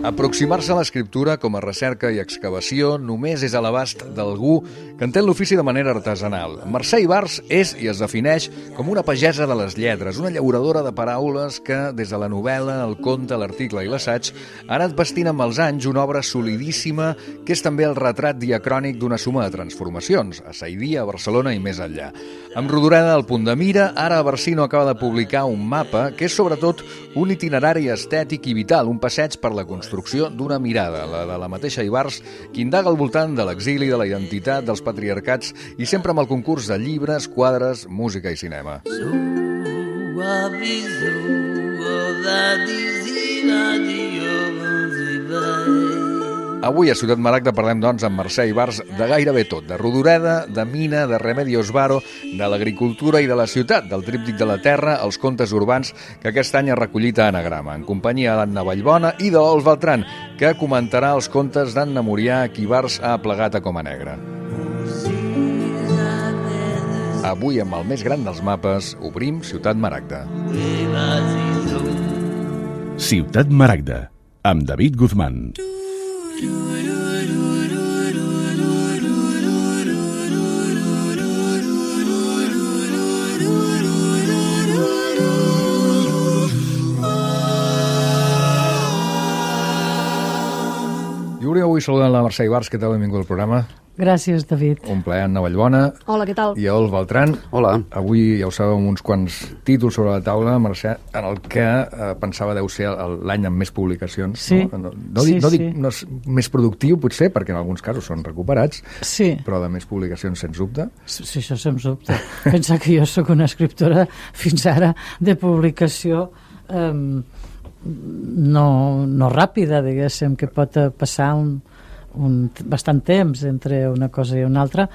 Aproximar-se a l'escriptura com a recerca i excavació només és a l'abast d'algú que entén l'ofici de manera artesanal. Mercè Ibars és i es defineix com una pagesa de les lletres, una llauradora de paraules que, des de la novel·la, el conte, l'article i l'assaig, ha anat vestint amb els anys una obra solidíssima que és també el retrat diacrònic d'una suma de transformacions, a Saidia, a Barcelona i més enllà. Amb Rodoreda al punt de mira, ara Barsino acaba de publicar un mapa que és sobretot un itinerari estètic i vital, un passeig per la construcció d'una mirada, la de la mateixa Ibars, que indaga al voltant de l'exili, de la identitat, dels patriarcats i sempre amb el concurs de llibres, quadres, música i cinema. Avui a Ciutat Maragda parlem, doncs, amb Mercè Ibars de gairebé tot, de Rodoreda, de Mina, de Remedios Varo, de l'agricultura i de la ciutat, del tríptic de la terra, els contes urbans que aquest any ha recollit a Anagrama, en companyia d'Anna Vallbona i de l'Ols Beltran, que comentarà els contes d'Anna Murià, que Ibars ha plegat a Coma Negra. Avui, amb el més gran dels mapes, obrim Ciutat Maragda. Ciutat Maragda, amb David Guzmán. I avui saludant la Mercè Ibars, que tal, benvingut al programa. Gràcies, David. Un plaer, Anna Vallbona. Hola, què tal? I Ols Beltran. Hola. Avui ja ho sabeu, amb uns quants títols sobre la taula, Mercè, en el que pensava deu ser l'any amb més publicacions. Sí. No dic no és més productiu, potser, perquè en alguns casos són recuperats, sí, però de més publicacions, sens dubte. Sí, això sens dubte. Pensa que jo sóc una escriptora fins ara de publicació no ràpida, diguéssim, que pot passar bastant temps entre una cosa i una altra,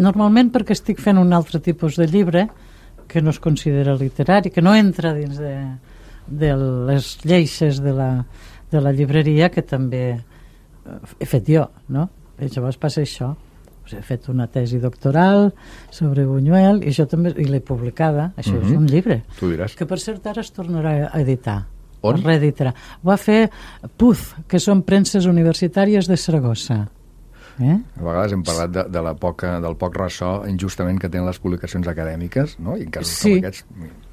normalment perquè estic fent un altre tipus de llibre que no es considera literari, que no entra dins de les lleixes de la llibreria, que també he fet jo, no? I llavors passa això. He fet una tesi doctoral sobre Buñuel i això també, i l'he publicada. Això és un llibre. Tu diràs. Que per cert ara es tornarà a editar. On? Reeditarà. Ho va fer PUZ, que són premses universitàries de Saragossa. A vegades hem parlat del poc ressò injustament que tenen les publicacions acadèmiques, no? I en casos com aquests...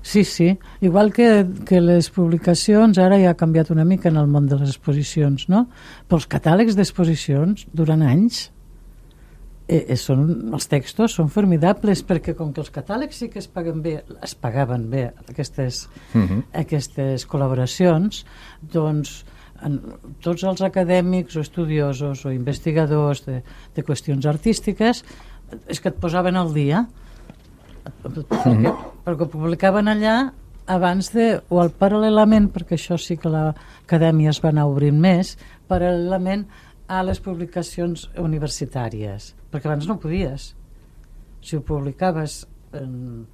Sí. Igual que les publicacions, ara ja ha canviat una mica en el món de les exposicions, no? Però els catàlegs d'exposicions, durant anys, els textos són formidables, perquè com que els catàlegs sí que es pagaven bé aquestes col·laboracions, doncs tots els acadèmics o estudiosos o investigadors de qüestions artístiques és que et posaven al dia perquè publicaven allà abans o paral·lelament, perquè això sí que l'acadèmia es va anar obrint més, paral·lelament a les publicacions universitàries, perquè abans no podies. Si ho publicaves en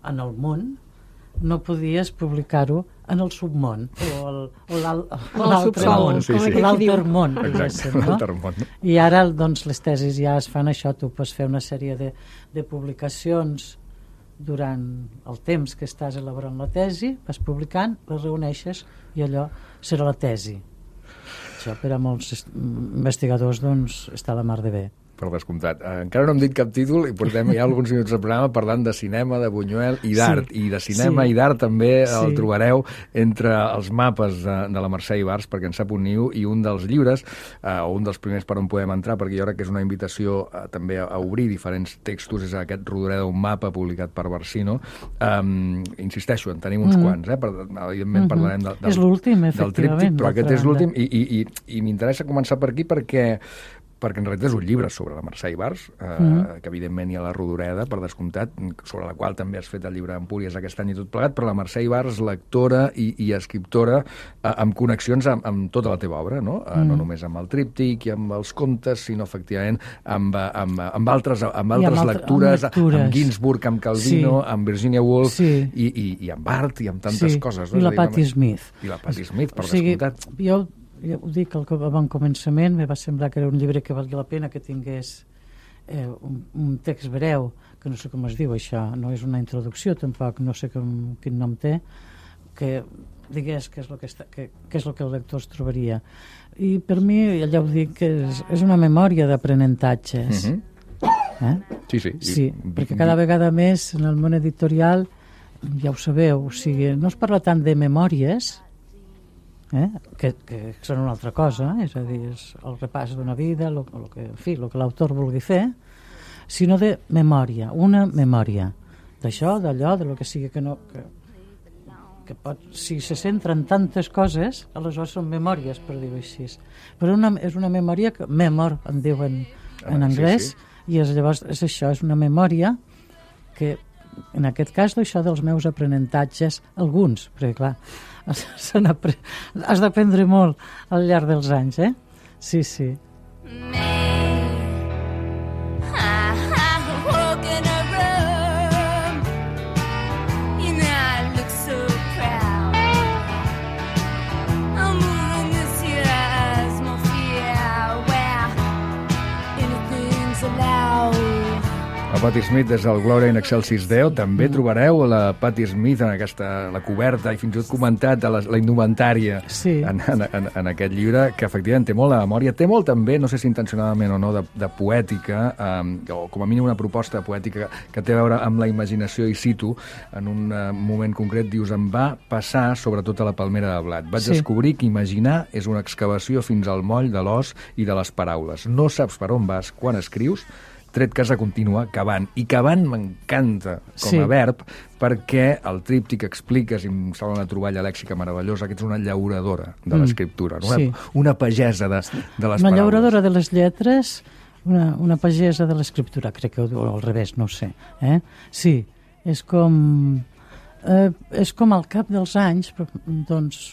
el món, no podies publicar-ho en el submón o l'altre món, l'altermón, no? I ara doncs, les tesis ja es fan això, tu pots fer una sèrie de publicacions durant el temps que estàs elaborant la tesi, vas publicant, les reuneixes i allò serà la tesi. Això per a molts investigadors doncs, està a la mar de bé. Per descomptat. Encara no hem dit cap títol i portem ja alguns minuts del programa parlant de cinema, de Buñuel i d'art. I de cinema i d'art també el trobareu entre els mapes de la Mercè Ibars, perquè en sap un niu, i un dels llibres, o un dels primers per on podem entrar, perquè jo crec que és una invitació també a obrir diferents textos, és aquest Rodoreda, un mapa publicat per Barsino. Insisteixo, en tenim uns quants, evidentment parlarem és l'últim, efectivament, però aquest és l'últim i m'interessa començar per aquí perquè en realitat és un llibre sobre la Mercè Ibars, que evidentment hi ha la Rodoreda, per descomptat, sobre la qual també has fet el llibre d'Empúries aquest any i tot plegat, però la Mercè Ibars, lectora i escriptora amb connexions amb tota la teva obra, no? No només amb el tríptic i amb els contes, sinó efectivament amb altres lectures, amb Ginsburg, amb Calvino, amb Virginia Woolf i amb art i amb tantes coses. I la Patti Smith. I la Patti Smith, per descomptat. Jo ho dic al bon començament, me va semblar que era un llibre que valia la pena que tingués un text breu, que no sé com es diu això, no és una introducció tampoc, no sé quin nom té, que digués què és el que el lector es trobaria. I per mi, ja ho dic, que és una memòria d'aprenentatges. Sí. Perquè cada vegada més en el món editorial, ja ho sabeu, o sigui, no es parla tant de memòries, que són una altra cosa, és a dir, és el repàs d'una vida, el que l'autor vulgui fer, sinó de memòria, una memòria d'això, d'allò, de lo que sigui, que pot, si se centren tantes coses, aleshores són memòries, per dir-ho així. Però és una memòria que memor, en diuen en anglès, i llavors és això, és una memòria que, en aquest cas, això dels meus aprenentatges, alguns, perquè clar, has d'aprendre molt al llarg dels anys, Sí. Patti Smith des del Gloria in Excelsis Deo. També trobareu la Patti Smith en la coberta i fins i tot comentat la indumentària en aquest llibre, que efectivament té molt de memòria, té molt també, no sé si intencionadament o no, de poètica, o com a mínim una proposta poètica que té a veure amb la imaginació, i cito, en un moment concret, dius, em va passar sobretot a la palmera de blat. Vaig descobrir que imaginar és una excavació fins al moll de l'os i de les paraules. No saps per on vas quan escrius, tret que has de continuar cavant. I cavant m'encanta com a verb, perquè el tríptic que expliques, i em sembla una troballa lèxica meravellosa, que ets una llauradora de l'escriptura, una pagesa de les paraules. Una llauradora de les lletres, una pagesa de l'escriptura, crec que ho diu al revés, no ho sé. Sí, és com al cap dels anys, doncs,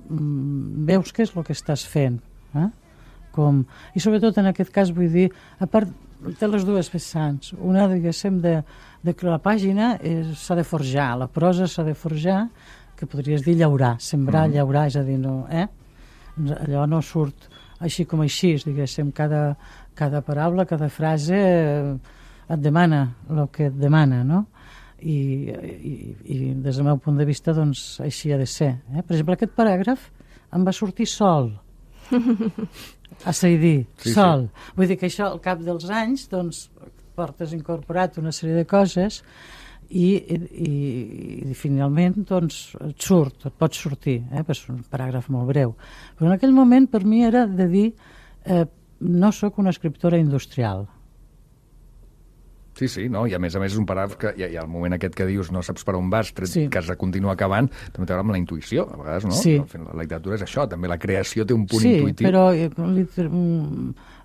veus què és el que estàs fent. I sobretot en aquest cas vull dir, a part té les dues vessants, una diguéssim de que la pàgina s'ha de forjar, la prosa s'ha de forjar, que podries dir llaurar, sembrar, llaurar, és a dir, allò no surt així com així, diguéssim, cada paraula, cada frase et demana el que et demana, no? I des del meu punt de vista, doncs, així ha de ser. Per exemple, aquest paràgraf em va sortir sol, a Saidí, sol. Vull dir que això, al cap dels anys, doncs, portes incorporat una sèrie de coses i finalment, doncs, et pot sortir, és un paràgraf molt breu. Però en aquell moment, per mi, era de dir no sóc una escriptora industrial. Sí, no? I a més és un paràgraf que hi ha el moment aquest que dius no saps per on vas, que has de continuar acabant, també té a veure amb la intuïció, a vegades, no? Sí. La literatura és això, també la creació té un punt intuïtiu. Sí, però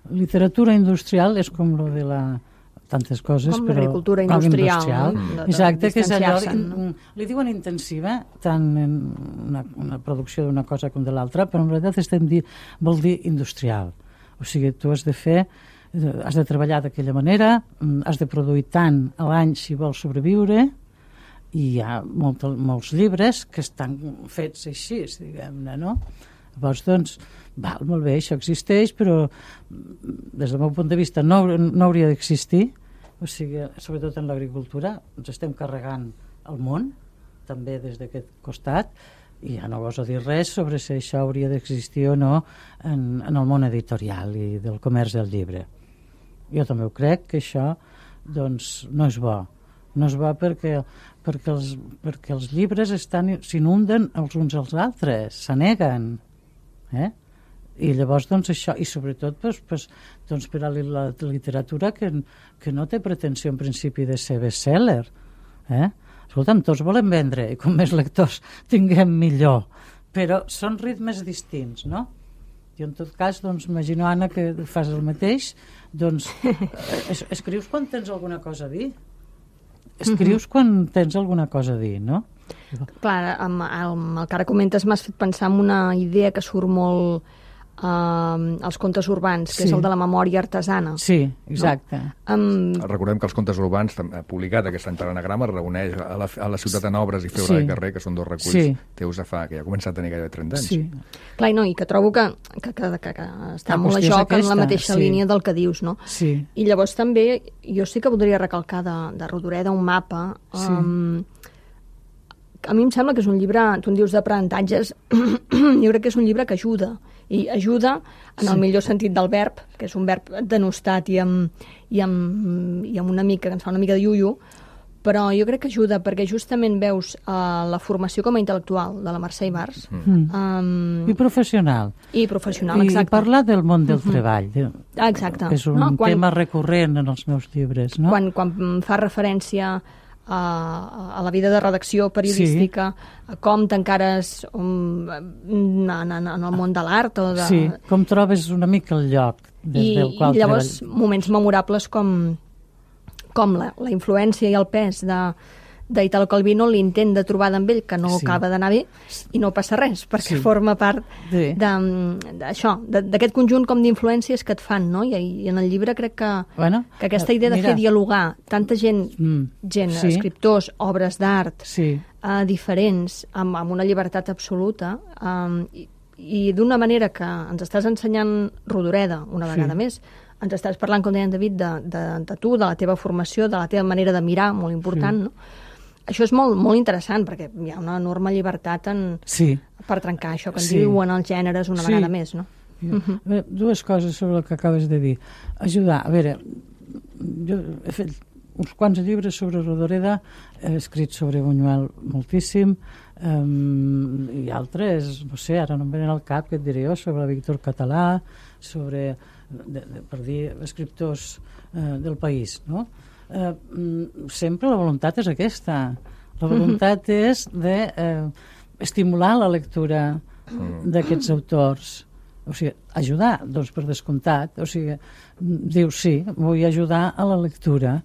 literatura industrial és com lo de tantes coses, com però... l'agricultura industrial. Exacte, que és allò... Li diuen intensiva, tant en una producció d'una cosa com de l'altra, però en realitat vol dir industrial. O sigui, tu has de treballar d'aquella manera, has de produir tant a l'any si vols sobreviure, i hi ha molts llibres que estan fets així, diguem-ne, no? Llavors, doncs, molt bé, això existeix, però des del meu punt de vista no hauria d'existir, o sigui, sobretot en l'agricultura, ens estem carregant el món, també des d'aquest costat, i ja no goso dir res sobre si això hauria d'existir o no en el món editorial i del comerç del llibre. Jo també ho crec, que això doncs, no és bo. No és bo perquè els llibres s'inunden els uns als altres, s'aneguen. I llavors, doncs, això, i sobretot doncs, per a la literatura que no té pretensió en principi de ser best-seller. Escolta'm, tots volem vendre, i com més lectors tinguem millor. Però són ritmes distints, no? I en tot cas, doncs, imagino, Anna, que fas el mateix, doncs, escrius quan tens alguna cosa a dir. Escrius quan tens alguna cosa a dir, no? Clar, amb el que ara comentes m'has fet pensar en una idea que surt molt als contes urbans, que és el de la memòria artesana. Sí, exacte. No? Recordem que els contes urbans, publicat aquest any per Anagrama, reuneix a la Ciutat en Obres i Febre de Carrer, que són dos reculls teus que ja ha començat a tenir gairebé 30 anys. Sí. Clar, i que trobo que està molt a joc en la mateixa línia del que dius, no? Sí. I llavors també, jo sí que voldria recalcar de Rodoreda un mapa a mi em sembla que és un llibre, tu en dius d'aprenentatges, jo crec que és un llibre que ajuda, i ajuda en el millor sentit del verb, que és un verb denostat i amb una mica, que ens fa una mica de iuiu, però jo crec que ajuda perquè justament veus la formació com a intel·lectual de la Mercè Ibars. I professional. I professional, exacte. I parla del món del treball. Exacte. És un tema recurrent en els meus llibres, no? Quan fa referència a la vida de redacció periodística, a com t'encares en el món de l'art o de... Sí, com trobes una mica el lloc des del qual I llavors moments memorables com la influència i el pes d'Italo Calvino, l'intent de trobada amb ell, que no acaba d'anar bé, i no passa res, perquè forma part d'això, d'aquest conjunt com d'influències que et fan, no? I en el llibre crec que aquesta idea de fer dialogar tanta gent, escriptors, obres d'art, diferents, amb una llibertat absoluta, i d'una manera que ens estàs ensenyant Rodoreda, una vegada més, ens estàs parlant, com deia en David, de tu, de la teva formació, de la teva manera de mirar, molt important, no? Això és molt, molt interessant, perquè hi ha una enorme llibertat per trencar això que en diuen els gèneres una vegada més, no? Dues coses sobre el que acabes de dir. Ajudar, a veure, jo he fet uns quants llibres sobre Rodoreda, he escrit sobre Buñuel moltíssim, i altres, no sé, ara no em venen al cap, què et diré jo, sobre Víctor Català, sobre... per dir escriptors del país, no? Sempre la voluntat és aquesta. La voluntat és d'estimular la lectura d'aquests autors. O sigui, ajudar, doncs per descomptat. O sigui, dius, sí, vull ajudar a la lectura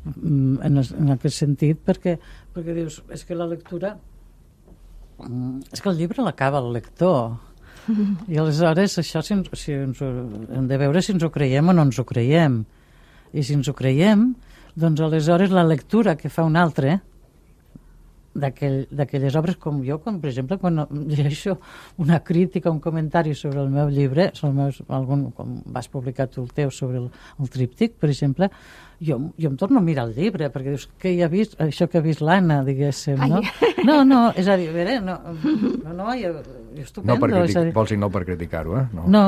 en aquest sentit, perquè dius, és que la lectura... És que el llibre l'acaba el lector. I aleshores això hem de veure si ens ho creiem o no ens ho creiem, i si ens ho creiem, doncs aleshores la lectura que fa un altre d'aquelles obres, com jo, per exemple, quan llegeixo una crítica, un comentari sobre el meu llibre, com vas publicar tu el teu sobre el tríptic, per exemple, jo em torno a mirar el llibre, perquè dius, què hi ha vist? Això que ha vist l'Anna, diguéssim, no? No, és a dir, a veure, jo estupendo. Vols dir no per criticar-ho, eh? No,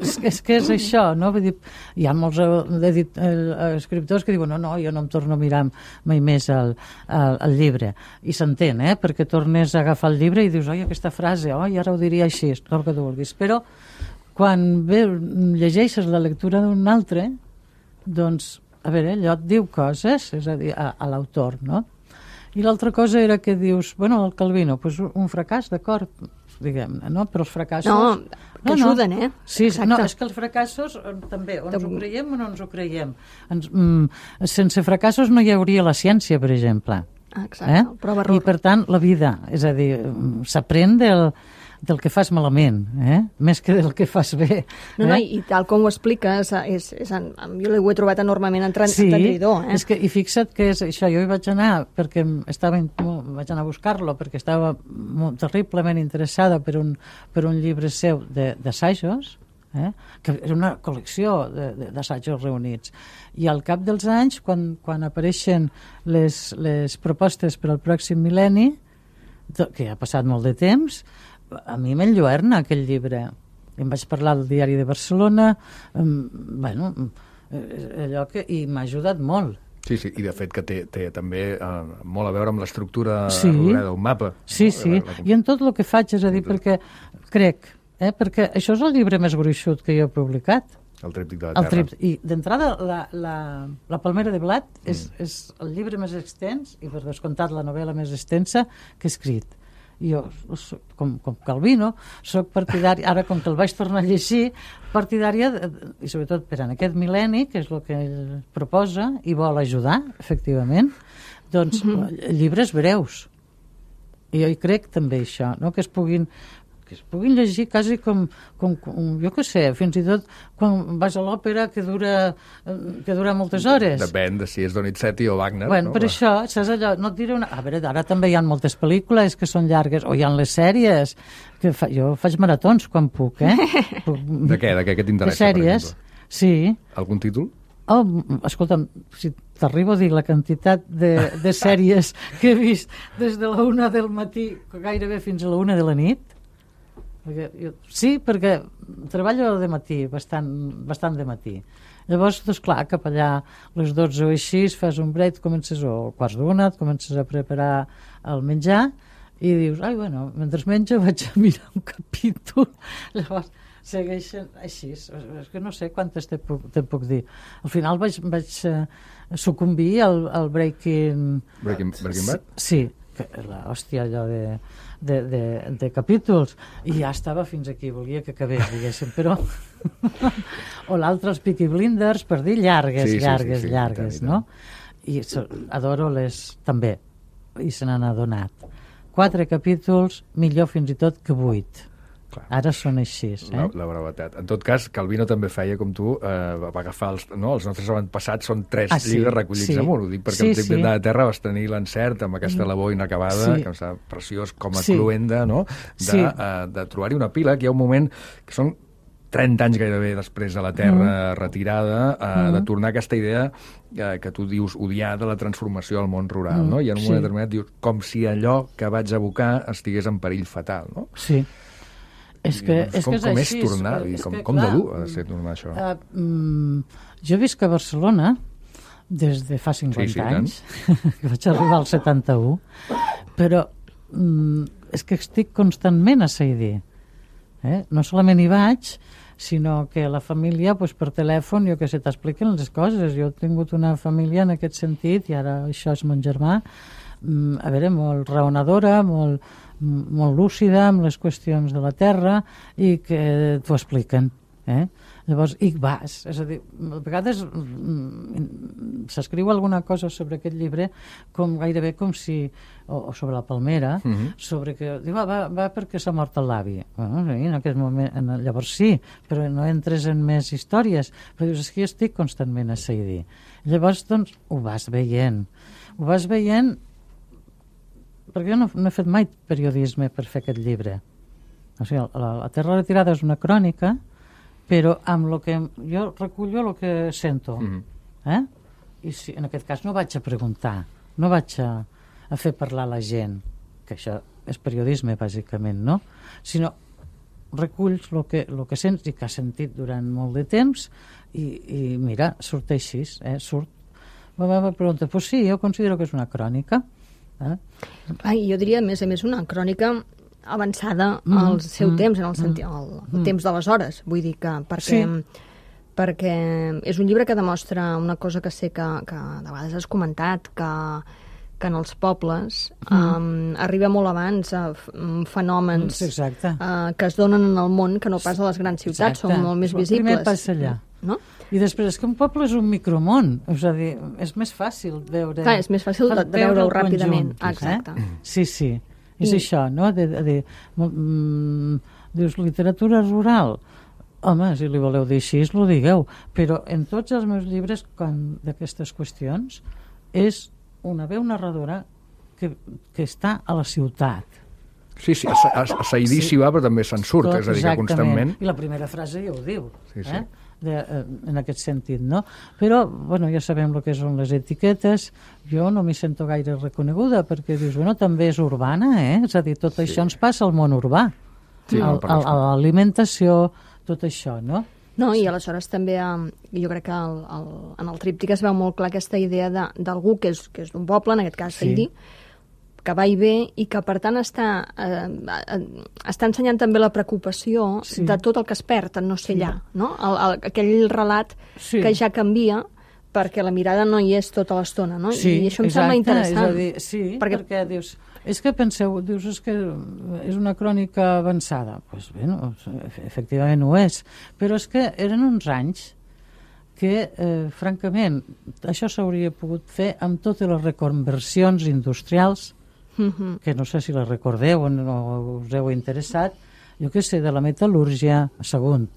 és que és això, no? Vull dir, hi ha molts escriptors que diuen, no, jo no em torno a mirar mai més el llibre. I s'entén, perquè tornes a agafar el llibre i dius, oi, aquesta frase, ara ho diria així, tot el que tu vulguis. Però quan llegeixes la lectura d'un altre, doncs, a veure, allò et diu coses, és a dir, a l'autor, no? I l'altra cosa era que dius, bueno, el Calvino, doncs un fracàs, d'acord, diguem-ne, no? Però els fracassos... No, que ajuden, Sí, no, és que els fracassos també, o ens ho creiem o no ens ho creiem. Sense fracassos no hi hauria la ciència, per exemple. Exacte, prova-error. I, per tant, la vida, és a dir, s'aprèn del que fas malament, més que del que fas bé. No, i tal com ho expliques, jo ho he trobat enormement entendridor. És que, i fixa't que és això, jo hi vaig anar perquè vaig anar a buscar-lo perquè estava terriblement interessada per un llibre seu d'assajos, que era una col·lecció d'assajos reunits. I al cap dels anys, quan apareixen les propostes per al pròxim mil·lenni, que ha passat molt de temps, a mi m'enlluerna aquell llibre. Em vaig parlar del Diari de Barcelona, i m'ha ajudat molt. Sí, i de fet que té també molt a veure amb l'estructura d'un mapa. Sí, i en tot el que faig, és a dir, perquè crec, perquè això és el llibre més gruixut que jo he publicat. El Tríptic de la Terra. I d'entrada, la Palmera de Blat és el llibre més extens, i per descomptat la novel·la més extensa que he escrit. Jo, com Calvino, soc partidària, ara com que el vaig tornar a llegir, partidària, i sobretot per en aquest mil·lenni, que és el que ell proposa i vol ajudar, efectivament, doncs llibres breus. I jo hi crec també això, no? que es puguin llegir quasi com jo què sé, fins i tot quan vas a l'òpera que dura moltes hores. Depèn de si és Donizetti o Wagner. Bueno, per això, saps allò, no et diré una... A veure, ara també hi ha moltes pel·lícules que són llargues, o hi ha les sèries, que jo faig maratons quan puc, De què? De què t'interessa, de sèries, per exemple? Sí. Algun títol? Oh, escolta'm, si t'arribo a dir la quantitat de sèries que he vist des de la 1 del matí gairebé fins a la 1 de la nit, perquè treballo de matí, bastant de matí. Llavors, doncs clar, cap allà a les 12 o així fas un break, comences o quarts d'1, et comences a preparar el menjar i dius, bueno, mentre menjo vaig a mirar un capítol. Llavors segueixen així, és que no sé quantes te puc dir. Al final vaig sucumbir al Breaking Bad? Sí, hòstia, allò de capítols, i ja estava fins aquí, volia que acabés, diguéssim, però o l'altre, els Peaky Blinders, per dir llargues, no? I adoro les també, i se n'han adonat 4 capítols, millor fins i tot que 8. Clar. Ara són així, La brevetat. En tot cas, Calvino també feia com tu, va agafar els nostres avantpassats, són 3 llibres recollits en un. Ho dic perquè el Trip de Terra vas tenir l'encert amb aquesta labor inacabada, que em sembla preciós com a cluenda, no? De trobar-hi una pila, que hi ha un moment que són 30 anys gairebé després de la Terra retirada, de tornar a aquesta idea que tu dius odiar de la transformació al món rural, no? I en un moment determinat dius, com si allò que vaig abocar estigués en perill fatal, no? Sí. Com és tornar? Com de dur ha de ser tornar això? Jo visc a Barcelona des de fa 50 anys, que vaig arribar al 71, però és que estic constantment a Saidí. No solament hi vaig, sinó que la família, per telèfon, jo que sé, t'expliquen les coses. Jo he tingut una família en aquest sentit, i ara això és mon germà, a veure, molt raonadora, molt lúcida amb les qüestions de la terra, i que t'ho expliquen. Llavors, i vas, és a dir, a vegades s'escriu alguna cosa sobre aquest llibre gairebé com si, o sobre la palmera, sobre que diu, va perquè s'ha mort el l'avi. En aquest moment, llavors sí, però no entres en més històries, però dius, és que jo estic constantment a Saidí. Llavors, doncs, ho vas veient, perquè jo no he fet mai periodisme per fer aquest llibre. O sigui, la Terra retirada és una crònica, però amb el que jo recullo el que sento. I si, en aquest cas no vaig a preguntar, no vaig a fer parlar la gent, que això és periodisme bàsicament, no? Sinó reculls el que sents i que has sentit durant molt de temps, i mira, surt així, surt. Me pregunta, pues sí, jo considero que és una crònica. Jo diria, a més una crònica avançada al seu temps, en el sentit, el temps d'aleshores, vull dir que perquè és un llibre que demostra una cosa que sé que de vegades has comentat, que en els pobles arriba molt abans a fenòmens que es donen en el món que no pas a les grans ciutats, són molt més visibles. Primer passa allà. No? I després és que un poble és un micromón, és a dir, és més fàcil veure... Clar, és més fàcil de veure-ho ràpidament. Exacte. Sí, és això, no? Dius, literatura rural. Home, si li voleu dir així, ho digueu. Però en tots els meus llibres d'aquestes qüestions és una veu narradora que està a la ciutat. Sí, a Saidí s'hi va, però també se'n surt, és a dir, que constantment... I la primera frase ja ho diu, en aquest sentit, no? Però, ja sabem el que són les etiquetes, jo no m'hi sento gaire reconeguda, perquè dius, també és urbana, és a dir, tot això ens passa al món urbà, a l'alimentació, tot això, no? No, i aleshores també jo crec que en el tríptic es veu molt clar aquesta idea d'algú que és d'un poble, en aquest cas Saidí, que va i ve i que per tant està ensenyant també la preocupació de tot el que es perd en no ser allà, no? Aquell relat que ja canvia perquè la mirada no hi és tota l'estona, no? I això em sembla interessant. Perquè dius, és que penseu, dius, és que és una crònica avançada. Doncs bé, efectivament ho és, però és que eren uns anys que, francament, això s'hauria pogut fer amb totes les reconversions industrials, que no sé si les recordeu o us heu interessat, jo què sé, de la metal·lúrgia a Sagunt,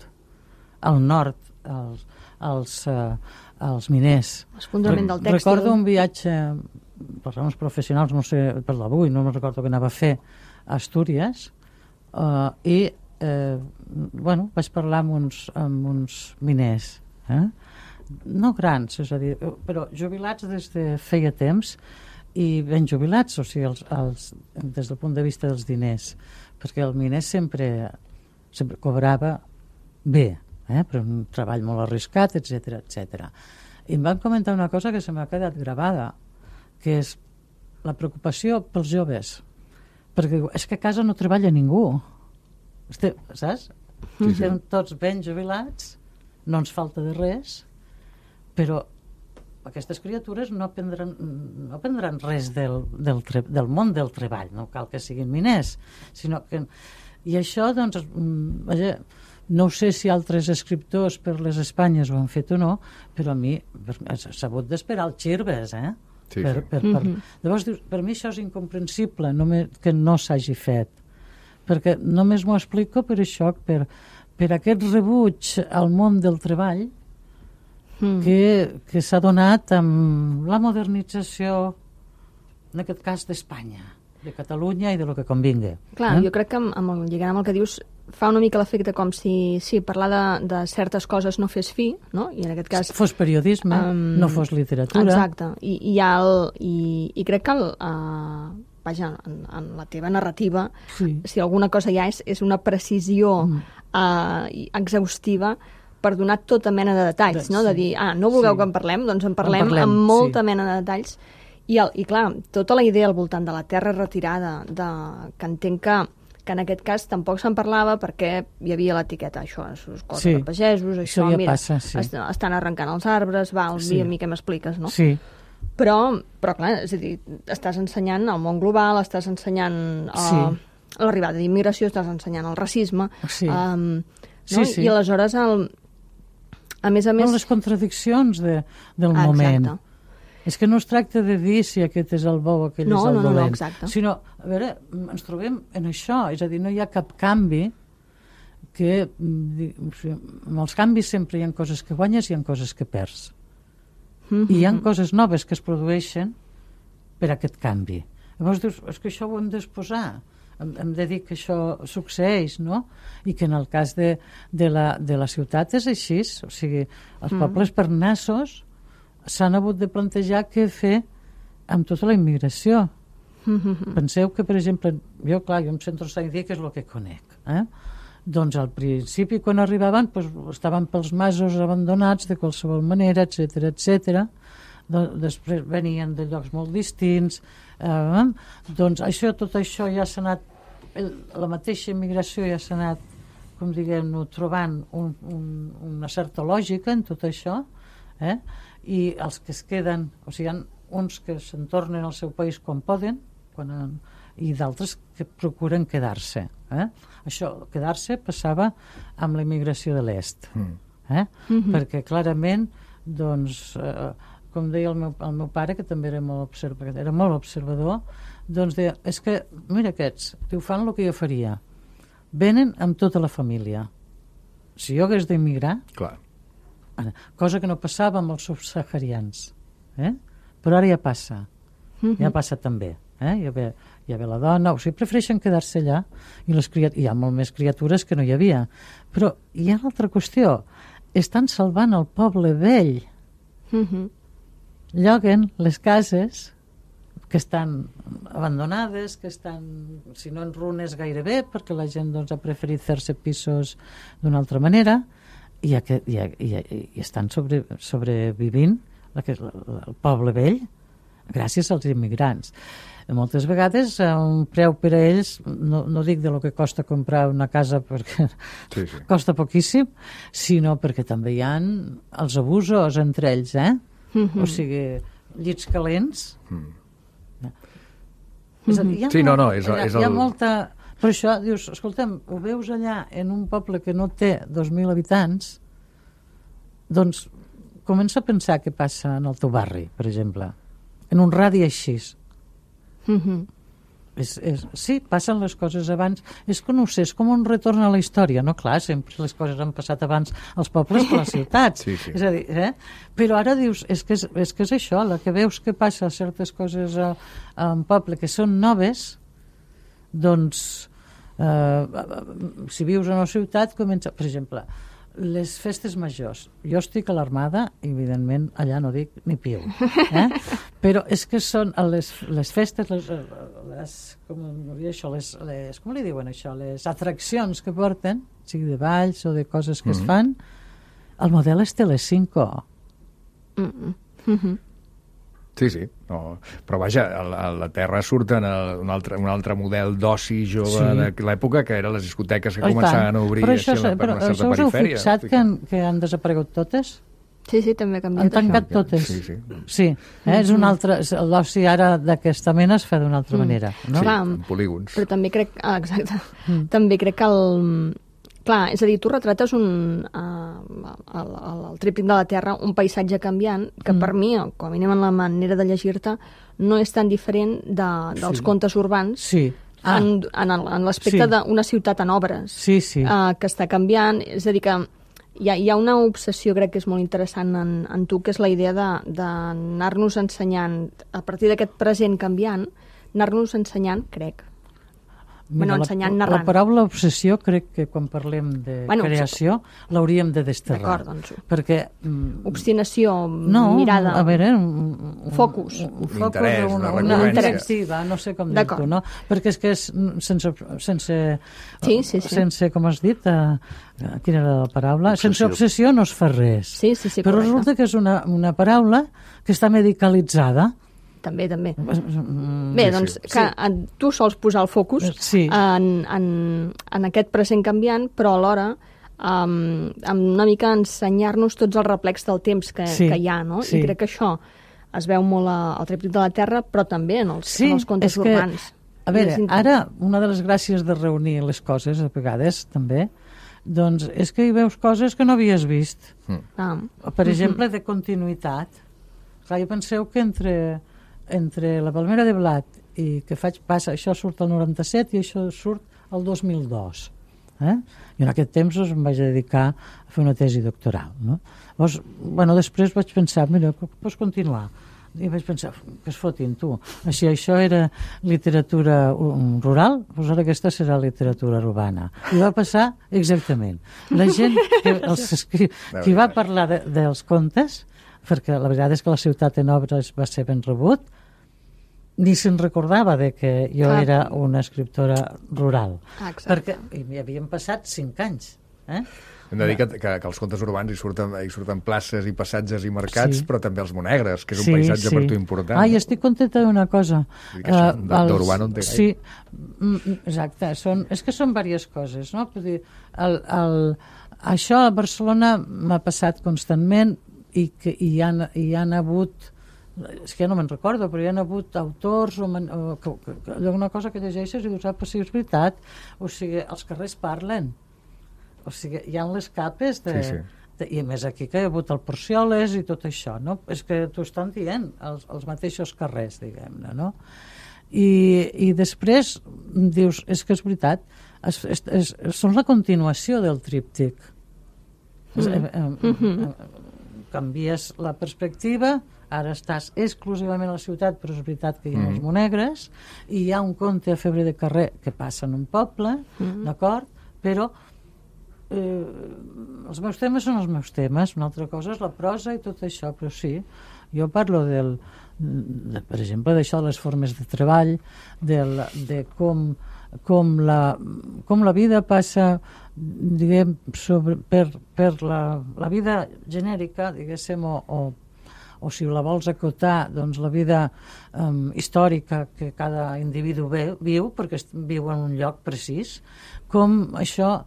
al nord, als miners. L'esfondrament del tèxtil. Recordo un viatge, per raons professionals, no sé, per l'avui, no me'n recordo què anava a fer a Astúries, i vaig parlar amb uns miners, no grans, és a dir, però jubilats des de feia temps i ben jubilats, o sigui, des del punt de vista dels diners, perquè el miner sempre cobrava bé, per un treball molt arriscat, etc etc. I em van comentar una cosa que se m'ha quedat gravada, que és la preocupació pels joves, perquè és que a casa no treballa ningú, saps? Sí. Estem tots ben jubilats, no ens falta de res, però aquestes criatures no aprendran res del món del treball, no cal que siguin miners, sinó que... I això, doncs, no sé si altres escriptors per les Espanyes ho han fet o no, però a mi s'ha hagut d'esperar el Xirves, Sí, Llavors, per mi això és incomprensible, que no s'hagi fet, perquè només m'ho explico per això, per aquest rebuig al món del treball que s'ha donat amb la modernització, en aquest cas d'Espanya, de Catalunya i de lo que convingui. Clar, jo crec que lligant amb el que dius fa una mica l'efecte com si parlar de certes coses no fes fi, no? I en aquest cas... Fos periodisme, no fos literatura. Exacte. I crec que vaja, en la teva narrativa, si alguna cosa hi ha és una precisió exhaustiva per donar tota mena de detalls, no? De dir, no vulgueu que en parlem? Doncs en parlem amb molta mena de detalls. I clar, tota la idea al voltant de la terra retirada, que entenc que en aquest cas tampoc se'n parlava perquè hi havia l'etiqueta, això, coses de pagesos, això ja mira, passa, estan arrencant els arbres, a mi què m'expliques, no? Sí. Però clar, és a dir, estàs ensenyant el món global, estàs ensenyant l'arribada d'immigració, estàs ensenyant el racisme, i aleshores, a més... les contradiccions del moment. Exacte. És que no es tracta de dir si aquest és el bo o aquell és el dolent, exacte. Sinó, a veure, ens trobem en això, és a dir, no hi ha cap canvi que... En els canvis sempre hi ha coses que guanyes i hi ha coses que perds. I hi ha coses noves que es produeixen per aquest canvi. Llavors dius, és que això ho hem d'exposar, hem de dir que això succeeix, no? I que en el cas de la ciutat és així, o sigui, els pobles per nassos s'han hagut de plantejar què fer amb tota la immigració. Penseu que, per exemple, jo em centro en dir que és el que conec. Doncs al principi, quan arribaven, estaven pels masos abandonats de qualsevol manera, etc etc. Després venien de llocs molt distints. Doncs tot això ja s'ha anat, la mateixa immigració ja s'ha anat, com diguem-ne, trobant una certa lògica en tot això, i els que es queden, o sigui, hi ha uns que se'n tornen al seu país quan poden, i d'altres que procuren quedar-se. Això, quedar-se, passava amb la immigració de l'est. Perquè clarament, doncs, com deia el meu pare, que també era molt observador, doncs deia, és que, mira aquests, fan el que jo faria. Venen amb tota la família. Si jo hagués d'immigrar, cosa que no passava amb els subsaharians, però ara ja passa, també, ja ve la dona, o sigui, prefereixen quedar-se allà, i hi ha molt més criatures que no hi havia, però hi ha l'altra qüestió, estan salvant el poble vell, lloguen les cases que estan abandonades, que estan, si no en runes gairebé, perquè la gent ha preferit fer-se pisos d'una altra manera, i estan sobrevivint el poble vell gràcies als immigrants. Moltes vegades un preu per a ells, no dic de lo que costa comprar una casa perquè costa poquíssim, sinó perquè també hi ha els abusos entre ells, o sigui, llits calents. És a dir, hi ha molta... Per això dius, escolta'm, ho veus allà en un poble que no té 2.000 habitants, doncs comença a pensar què passa en el teu barri, per exemple, en un radi així. Sí, passen les coses abans. És que no ho sé, és com un retorn a la història, no? Clar, sempre les coses han passat abans als pobles que a les ciutats. És a dir, però ara dius, és que és això, la que veus que passa certes coses a un poble que són noves, doncs si vius en una ciutat comença, per exemple, les festes majors. Jo estic a l'Armada i, evidentment, allà no dic ni piu. Però és que són les festes, com li diuen això? Les atraccions que porten, sigui de balls o de coses que es fan, el model és Telecinco. Sí. No. Però vaja, a la Terra surten un altre model d'oci jove de l'època, que eren les discoteques que començaven a obrir per una certa perifèria. Però us heu fixat que han desaparegut totes? Sí, també ha canviat. Han tancat totes. Sí. És un altre... L'oci ara d'aquesta mena es fa d'una altra manera. No? Sí, en polígons. Però també crec... exacte. També crec que clar, és a dir, tu retrates el tríptic de la Terra, un paisatge canviant, que per mi, com a mínim en la manera de llegir-te, no és tan diferent dels contes urbans en l'aspecte d'una ciutat en obres, que està canviant. És a dir, que hi ha una obsessió, crec que és molt interessant en tu, que és la idea d'anar-nos ensenyant, a partir d'aquest present canviant, anar-nos ensenyant, crec, ensenyant, narrant. La paraula obsessió crec que quan parlem de creació l'hauríem de desterrar. D'acord, doncs. Perquè... obstinació, mirada... a veure... focus. Un interès, una directiva, no sé com dir-ho, no? Perquè és que és sense com has dit, quina era la paraula? Sense obsessió no es fa res. Sí, però resulta que és una paraula que està medicalitzada. També. Bé, doncs, que tu sols posar el focus en aquest present canviant, però alhora amb una mica ensenyar-nos tots els reflex del temps que hi ha, no? I crec que això es veu molt al tríptic de la Terra, però també en els contes urbans. A veure, ara, una de les gràcies de reunir les coses, a vegades, també, doncs és que hi veus coses que no havies vist. Per exemple, de continuïtat. Clar, penseu que entre la palmera de blat i que això surt al 97 i això surt al 2002. I en aquest temps em vaig dedicar a fer una tesi doctoral. No? Llavors, després vaig pensar, mira, pots continuar. I vaig pensar, que es fotin, tu. Així, això era literatura rural, doncs ara aquesta serà literatura urbana. I va passar exactament. La gent qui va parlar dels contes, perquè la veritat és que la ciutat en obres va ser ben rebut, ni se'n recordava de que jo era una escriptora rural. Perquè hi havien passat 5 anys. Hem de dir que els contes urbans hi surten places i passatges i mercats, però també els monegres, que és un paisatge per tu important. I estic contenta d'una cosa. D'urbà no en té gaire. Sí, exacte. És que són diverses coses, no? Això a Barcelona m'ha passat constantment i hi han hagut... És que ja no me'n recordo, però hi ha hagut autors una cosa que llegeixes i dius, però sí, és veritat. O sigui, els carrers parlen. O sigui, hi ha les capes i a més aquí que hi ha hagut el Porcioles i tot això, no? És que t'ho estan dient els mateixos carrers, diguem-ne, no? I després dius, és que és veritat, són la continuació del tríptic. Canvies la perspectiva, ara estàs exclusivament a la ciutat, però és veritat que hi ha els monegres, i hi ha un conte a Febre de Carrer que passa en un poble, d'acord? Però els meus temes són els meus temes, una altra cosa és la prosa i tot això, però sí, jo parlo per exemple, d'això de les formes de treball, de com la vida passa, diguem, per la vida genèrica, diguéssim, o si la vols acotar, doncs la vida històrica que cada individu viu, perquè viu en un lloc precís, com això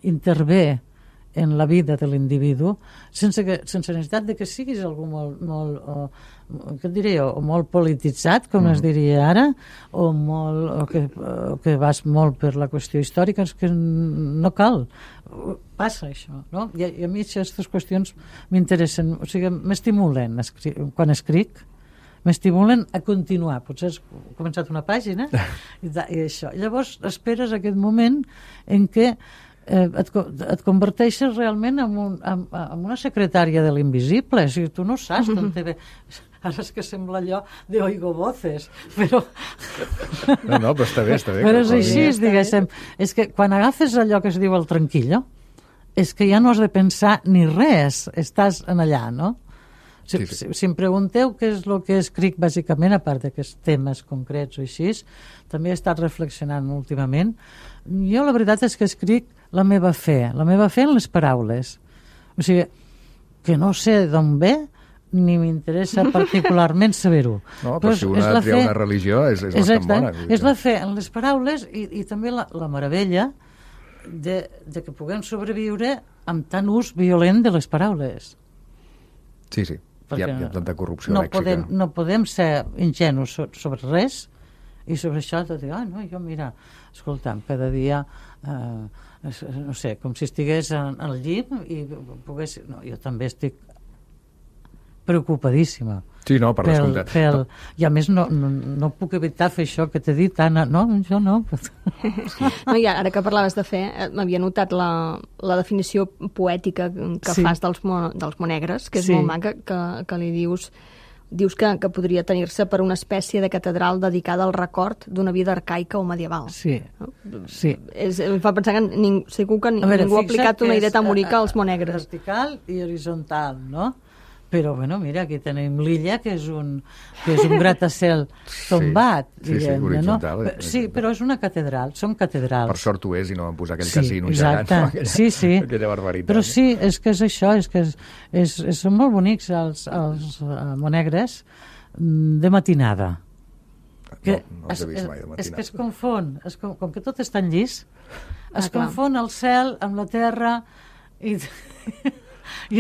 intervé en la vida de l'individu sense necessitat de que siguis algú què et diré, o molt polititzat, com es diria ara, o que vas molt per la qüestió històrica. És que no cal, passa això, no? I a mi aquestes qüestions m'interessen, o sigui, m'estimulen quan escric, m'estimulen a continuar. Potser has començat una pàgina i això. Llavors esperes aquest moment en què et converteixes realment en una secretària de l'invisible. O sigui, tu no saps d'on te ve. ara és que sembla allò de oigo voces, però... No, però està bé. Però és així, diguéssim. És que quan agafes allò que es diu el tranquillo, és que ja no has de pensar ni res, estàs en allà, no? Si em pregunteu què és el que escric bàsicament, a part d'aquests temes concrets o així, també he estat reflexionant últimament. Jo la veritat és que escric la meva fe en les paraules. O sigui, que no sé d'on ve, ni m'interessa particularment saber-ho. No, però si una tria una religió és bastant bona. És la fe en les paraules i també la meravella de que puguem sobreviure amb tant ús violent de les paraules. Sí. Hi ha tanta corrupció lèxica. No podem ser ingenus sobre res i sobre això de dir, jo mira, escolta'm, cada dia no sé, com si estigués al llit i pogués... No, jo també estic preocupadíssima. Sí, no, per descomptat. I a més no puc evitar fer això que t'he dit, Anna. No, jo no. No, i ara que parlaves de fe, m'havia notat la definició poètica que fas dels monegres, que és molt maca, que li dius que podria tenir-se per una espècie de catedral dedicada al record d'una vida arcaica o medieval. Sí. Em fa pensar que segur que ningú ha aplicat una idea tan bonica als monegres. Vertical i horitzontal, no? Però, bueno, mira, aquí tenim l'illa, que és un gratacel tombat, diguem-ne, no? Sí, però és una catedral, són catedrals. Per sort ho és, i no van posar aquell casino gegant, aquella barbaritat. Però sí, és que és això, és que són molt bonics els monegres de matinada. No els he vist mai de matinada. És que es confon, com que tot és tan llis, es confon el cel amb la terra i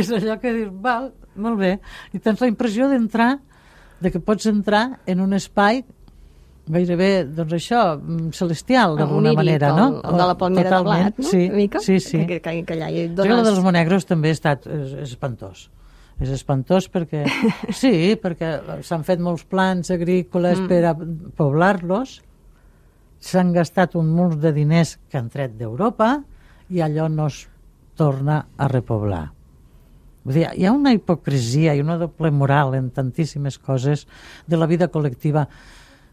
és allò que dius, val, molt bé, i tens la impressió de que pots entrar en un espai gairebé, doncs això, celestial, d'alguna manera, no? El de la palmera de blat, no? Sí. Que allà hi dones... El dels monegros també és espantós. És espantós perquè... Sí, perquè s'han fet molts plans agrícoles per a poblar-los, s'han gastat un munt de diners que han tret d'Europa i allò no es torna a repoblar. Vull dir, hi ha una hipocresia i una doble moral en tantíssimes coses de la vida col·lectiva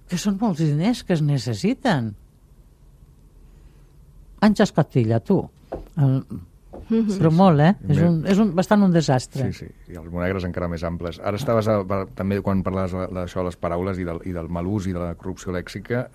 que són molts diners que es necessiten. Anys escotilla, tu. Però molt, és bastant un desastre. Sí, i els monegres encara més amples. Ara estaves, també, quan parlaves d'això, les paraules i del mal ús i de la corrupció lèxica,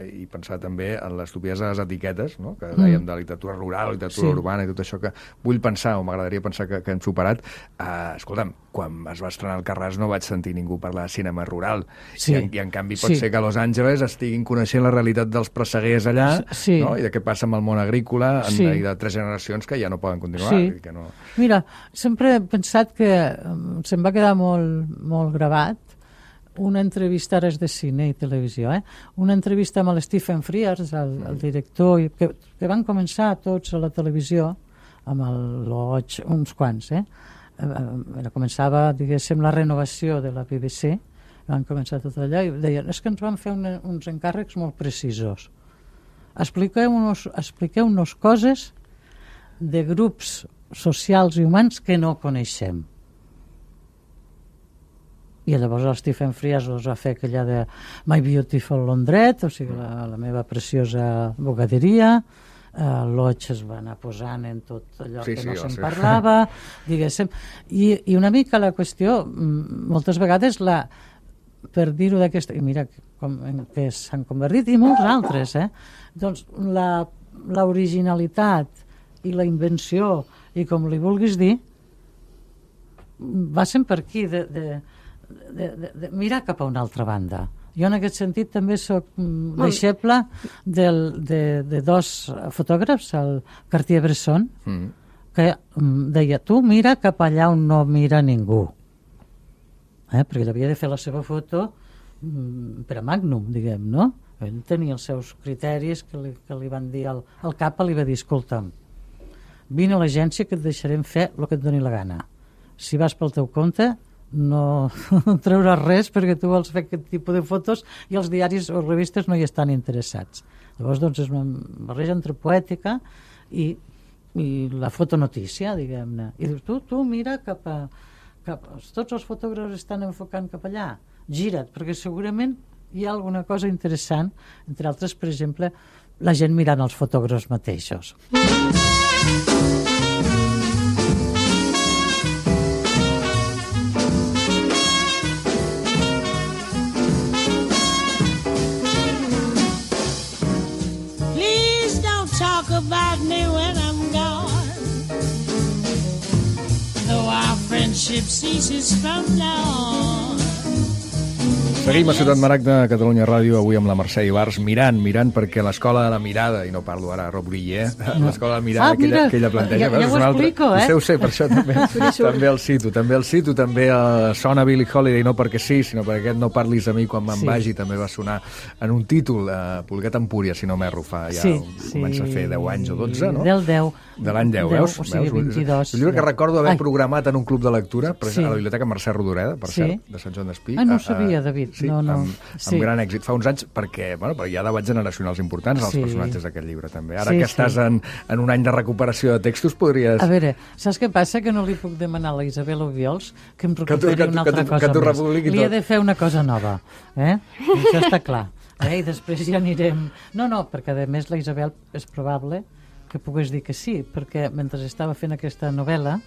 i pensar també en l'estupidesa de les etiquetes, no? Que dèiem de literatura rural, literatura urbana i tot això, que vull pensar, o m'agradaria pensar que hem superat. Escolta'm, quan es va estrenar el Carràs no vaig sentir ningú parlar de cinema rural, i en canvi pot ser que a Los Angeles estiguin coneixent la realitat dels presseguers allà, no? I de què passa amb el món agrícola, i de 3 generacions que ja no poden continuar. Que no... Mira, sempre he pensat que se'm va quedar molt gravat una entrevista, ara és de cine i televisió, una entrevista amb el Stephen Frears, el director, que van començar tots a la televisió, amb el Lodge, uns quants, començava, diguéssim, la renovació de la BBC, van començar tot allò i deien, és que ens van fer uns encàrrecs molt precisos. Expliqueu-nos coses de grups socials i humans que no coneixem. I llavors el Stephen Frears va fer aquella de My Beautiful Laundrette, o sigui, la meva preciosa bogaderia. Lodge es va anar posant en tot allò que no se'n parlava, diguéssim. I una mica la qüestió, moltes vegades, per dir-ho d'aquesta... I mira que s'han convertit, i molts altres, doncs l'originalitat i la invenció, i com li vulguis dir, va ser per aquí, de mirar cap a una altra banda. Jo en aquest sentit també soc deixeble de 2 fotògrafs, el Cartier-Bresson, que deia, tu mira cap allà on no mira ningú. Perquè ell havia de fer la seva foto per a Magnum, diguem, no? Ell tenia els seus criteris que li van dir al cap, li va dir, escolta'm, vine a l'agència que et deixarem fer el que et doni la gana. Si vas pel teu compte, no treuràs res perquè tu vols fer aquest tipus de fotos i els diaris o revistes no hi estan interessats. Llavors, doncs, és una barreja entre poètica i la fotonotícia, diguem-ne. I dius, tu mira cap tots els fotògrafs estan enfocant cap allà, gira't, perquè segurament hi ha alguna cosa interessant, entre altres, per exemple, la gent mirant els fotògrafs mateixos. Talk about me when I'm gone, though our friendship ceases from now on. Seguim a Ciutat Maragda, Catalunya Ràdio, avui amb la Mercè Ibars, mirant, perquè l'Escola de la Mirada, i no parlo ara a Rob Guiller, l'Escola de la Mirada que ella planteja... Ja ho explico, Ho sé, per això també el cito, també sona Billie Holiday, no perquè sí, sinó perquè aquest No parlis a mi quan me'n vagi també va sonar en un títol, Polguer Tempúria, si no m'erro, fa ja comença a fer 10 anys o 12, no? Del 10. De l'any 10, veus? O sigui, 22. El llibre que recordo haver programat en un club de lectura, a la Biblioteca Mercè Rodoreda, per cert, de Sant Joan d'Espí. No ho sabia, David. Sí, amb gran èxit. Fa uns anys, perquè hi ha debats generacionals importants als personatges d'aquest llibre, també. Ara que estàs en un any de recuperació de textos, podries... A veure, saps què passa? Que no li puc demanar a la Isabel Obiols que em recuperi una altra cosa més. Li he de fer una cosa nova. Això està clar. I després ja anirem... No, perquè a més la Isabel és probable que pogués dir que sí, perquè mentre estava fent aquesta novel·la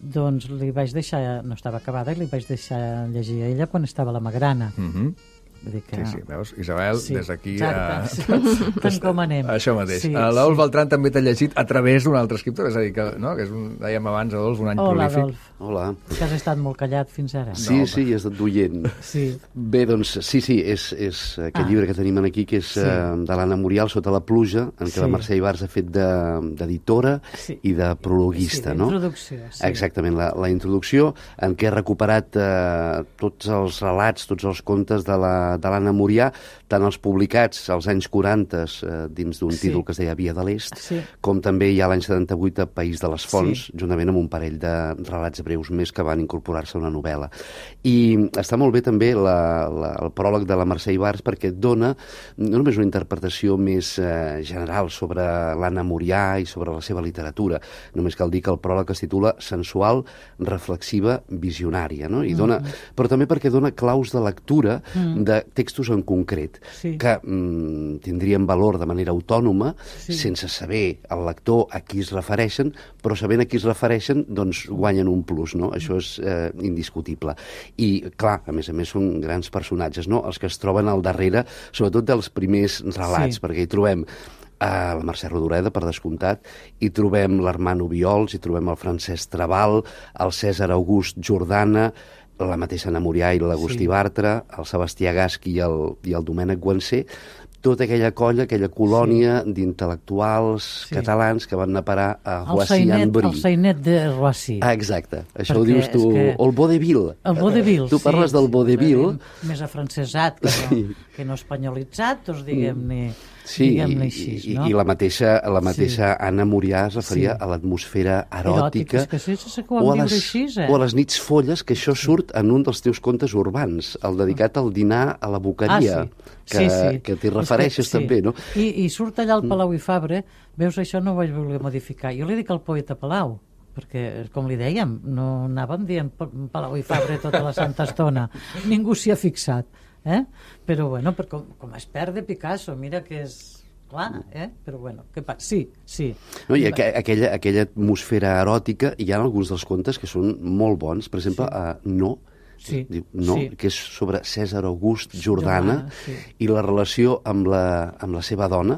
doncs li vaig deixar, no estava acabada, i li vaig deixar llegir a ella quan estava a la Magrana. Sí, veus, Isabel, des d'aquí... Tant com anem. Això mateix. L'Adolf Beltrán també t'ha llegit a través d'un altre escriptor, és a dir, que és dèiem abans, Adolf, un any prolífic. Adolf. Hola. Que has estat molt callat fins ara. Sí, he estat duient. Bé, doncs, és aquest llibre que tenim aquí, que és de l'Anna Murial, Sota la pluja, en què la Mercè Ibars ha fet d'editora i de prologuista, no? Introducció. Exactament, la introducció, en què ha recuperat tots els relats, tots els contes de l'Anna Murià, tant els publicats als anys 40 dins d'un títol que es deia Via de l'Est, com també hi ha l'any 78 a País de les Fonts, juntament amb un parell de relats breus més que van incorporar-se a una novel·la. I està molt bé també el pròleg de la Mercè Ibars, perquè dona no només una interpretació més general sobre l'Anna Murià i sobre la seva literatura, només cal dir que el pròleg es titula Sensual, reflexiva, visionària, no? I dona, però també perquè dona claus de lectura de textos en concret, que tindrien valor de manera autònoma, sense saber el lector a qui es refereixen, però sabent a qui es refereixen, doncs guanyen un plus, no? Això és indiscutible. I, clar, a més són grans personatges, no? Els que es troben al darrere, sobretot dels primers relats, perquè hi trobem la Mercè Rodoreda, per descomptat, hi trobem l'Armand Obiols, hi trobem el Francesc Trabal, el Cèsar August Jordana, la mateixa Anna Murià i l'Agustí Bartra, el Sebastià Gaschi i el Domènec Guansé, tota aquella colla, aquella colònia d'intel·lectuals catalans que van anar a parar a Roissy-en-Brie. El Sainet de Roissy. Exacte. Això ho dius tu, el vaudeville. El vaudeville, tu parles del vaudeville. Més afrancesat que no espanyolitzat, doncs diguem-ne... diguem-ne així, no? I la mateixa Anna Murià es referia a l'atmosfera eròtica o a les nits folles, que això surt en un dels teus contes urbans, el dedicat al dinar a la boqueria, que t'hi refereixes també, no? I surt allà al Palau i Fabra, veus, això no ho vaig voler modificar. Jo li dic al poeta Palau, perquè, com li dèiem, no anàvem dient Palau i Fabra tota la santa estona. Ningú s'hi ha fixat. Però bueno, com es perd de Picasso, mira que és clar, però bueno, què passa? Sí. No, i aquella atmosfera eròtica, hi ha alguns dels contes que són molt bons, per exemple, que és sobre Cèsar August Jordana i la relació amb la seva dona,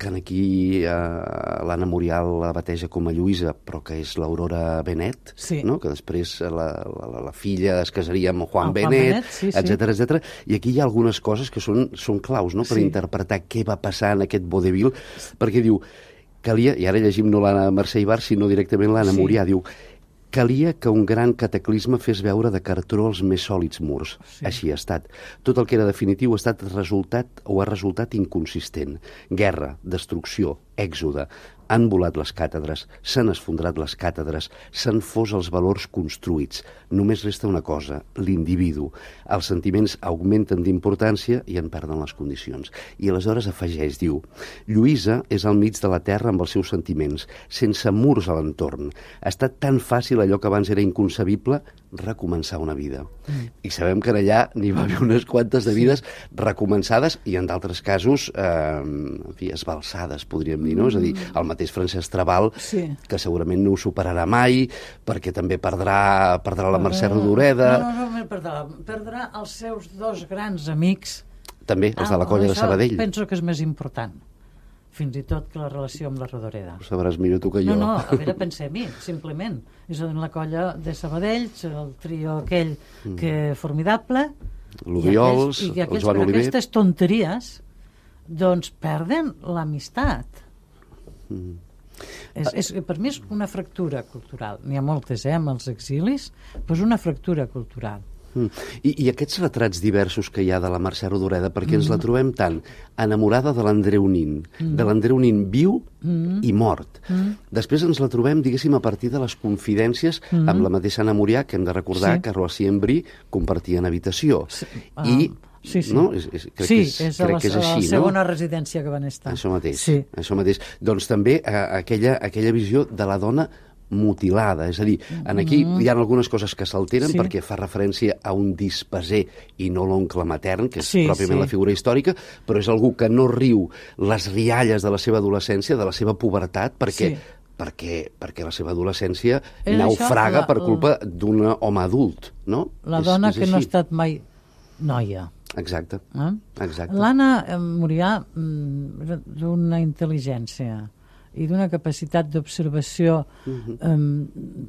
que aquí l'Anna Murià la bateja com a Lluïsa, però que és l'Aurora Benet, que després la filla es casaria amb Juan Benet, etc. I aquí hi ha algunes coses que són claus per interpretar què va passar en aquest vaudeville, perquè diu, calia, i ara llegim no la Mercè Ibars, sinó directament l'Anna Murià, diu, calia que un gran cataclisme fes veure de cartró els més sòlids murs. Així ha estat. Tot el que era definitiu ha resultat inconsistent. Guerra, destrucció, èxode. Han volat les càtedres, s'han esfondrat les càtedres, s'han fos els valors construïts. Només resta una cosa, l'individu. Els sentiments augmenten d'importància i en perden les condicions. I aleshores afegeix, diu, Lluïsa és al mig de la terra amb els seus sentiments, sense murs a l'entorn. Ha estat tan fàcil allò que abans era inconcebible, recomençar una vida. I sabem que allà n'hi va haver unes quantes de vides recomençades i en d'altres casos en fi, esbalsades, podríem dir, no? És a dir, el mateix Francesc Trabal, que segurament no ho superarà mai, perquè també perdrà la Mercè Rodoreda. No, perdrà els seus dos grans amics. També, els de la colla de Sabadell. Penso que és més important, fins i tot que la relació amb la Rodoreda. Ho sabràs millor tu que jo. No, a veure, pensem-hi, simplement. És la colla de Sabadell, el trio aquell que formidable, l'Obiols, el Joan Oliver. Aquestes tonteries doncs perden l'amistat. Per mi és una fractura cultural. N'hi ha moltes, amb els exilis, però és una fractura cultural. I aquests retrats diversos que hi ha de la Mercè Rodoreda, perquè ens la trobem tant enamorada de l'Andreu Nin, de l'Andreu Nin viu i mort. Després ens la trobem, diguéssim, a partir de les confidències amb la mateixa Anna Murià, que hem de recordar que Rossí i Embrí compartien habitació. I no? Crec que és així, la segona residència que van estar. Això mateix. Doncs també aquella visió de la dona mutilada, és a dir, aquí hi ha algunes coses que s'alteren perquè fa referència a un dispeser i no l'oncle matern, que és pròpiament la figura històrica, però és algú que no riu les rialles de la seva adolescència, de la seva pubertat, perquè la seva adolescència naufraga per culpa d'un home adult, no? La dona que no ha estat mai noia. Exacte. L'Anna Murià, d'una intel·ligència i d'una capacitat d'observació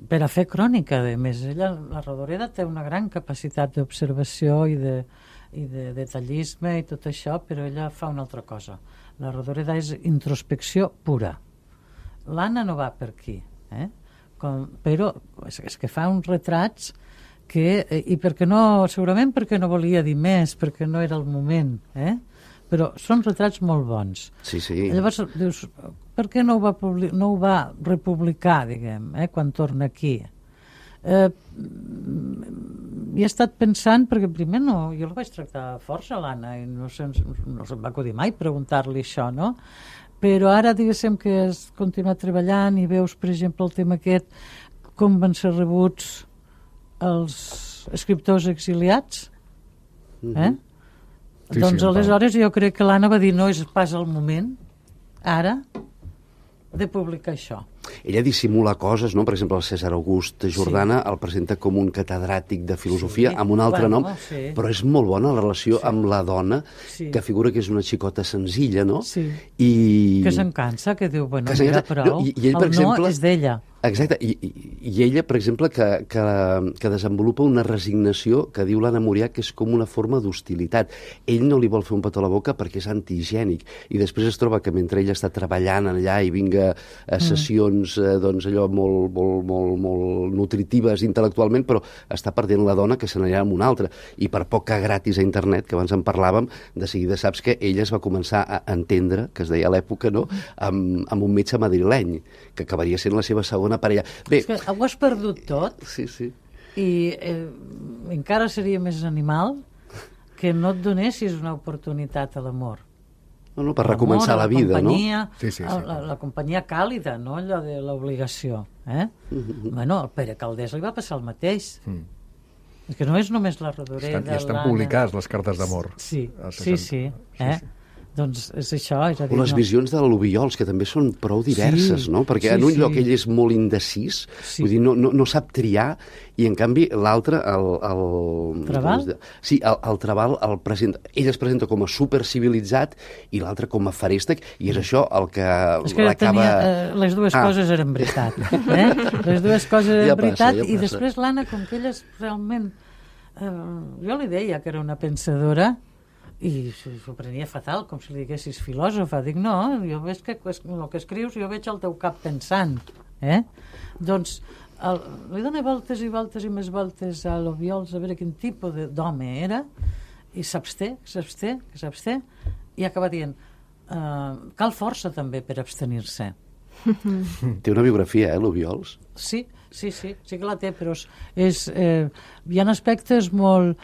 per a fer crònica, a més. La Rodoreda té una gran capacitat d'observació i de detallisme i tot això, però ella fa una altra cosa. La Rodoreda és introspecció pura. L'Anna no va per aquí, però és que fa uns retrats i segurament perquè no volia dir més, perquè no era el moment, però són retrats molt bons. Llavors dius, per què no ho va republicar, diguem, quan torna aquí? He estat pensant, perquè primer jo la vaig tractar força, l'Anna, i no se'm va acudir mai preguntar-li això, no? Però ara, diguéssim, que has continuat treballant i veus, per exemple, el tema aquest, com van ser rebuts els escriptors exiliats, doncs aleshores jo crec que l'Anna va dir no és pas el moment ara de publicar això. Ella dissimula coses, no? Per exemple, el César August Jordana el presenta com un catedràtic de filosofia amb un altre nom, però és molt bona la relació amb la dona, que figura que és una xicota senzilla, no? Que se'n cansa, que diu, bueno, mira, prou, el no és d'ella. Exacte, i ella, per exemple, que desenvolupa una resignació que diu l'Anna Murià que és com una forma d'hostilitat. Ell no li vol fer un petó a la boca perquè és antihigiènic, i després es troba que mentre ella està treballant allà i vinga a sessions doncs allò molt nutritives intel·lectualment, però està perdent la dona que se n'anirà amb una altra. I per poc que gratis a internet, que abans en parlàvem, de seguida saps que ella es va començar a entendre, que es deia a l'època, no?, amb un metge madrileny, que acabaria sent la seva segona parella. Bé, és que ho has perdut tot. Sí. I encara seria més animal que no et donessis una oportunitat a l'amor. No, per recomençar la vida, no? La companyia càlida, no? Allò de l'obligació. Bueno, al Pere Caldés li va passar el mateix. És que no és només la Rodoreda. Estan publicades les cartes d'amor. Sí. Doncs és això. És a dir, o les visions de l'Obiols, que també són prou diverses, no? Perquè en un lloc ell és molt indecis, vull dir, no sap triar, i en canvi l'altre, el Trabal? Sí, el Trabal ell es presenta com a supercivilitzat i l'altre com a feréstec, i és això el que l'acaba... Les dues coses eren veritat. Les dues coses eren veritat, i després l'Anna, com que ella és realment... Jo li deia que era una pensadora, i s'ho prenia fatal, com si li diguessis filòsofa. Dic, no, jo veig que el que escrius jo veig al teu cap pensant. Doncs li dona voltes i voltes i més voltes a l'Obiols a veure quin tipus d'home era, i s'absté, i acaba dient cal força també per abstenir-se. Té una biografia, l'Obiols? Sí que la té, però hi ha aspectes molt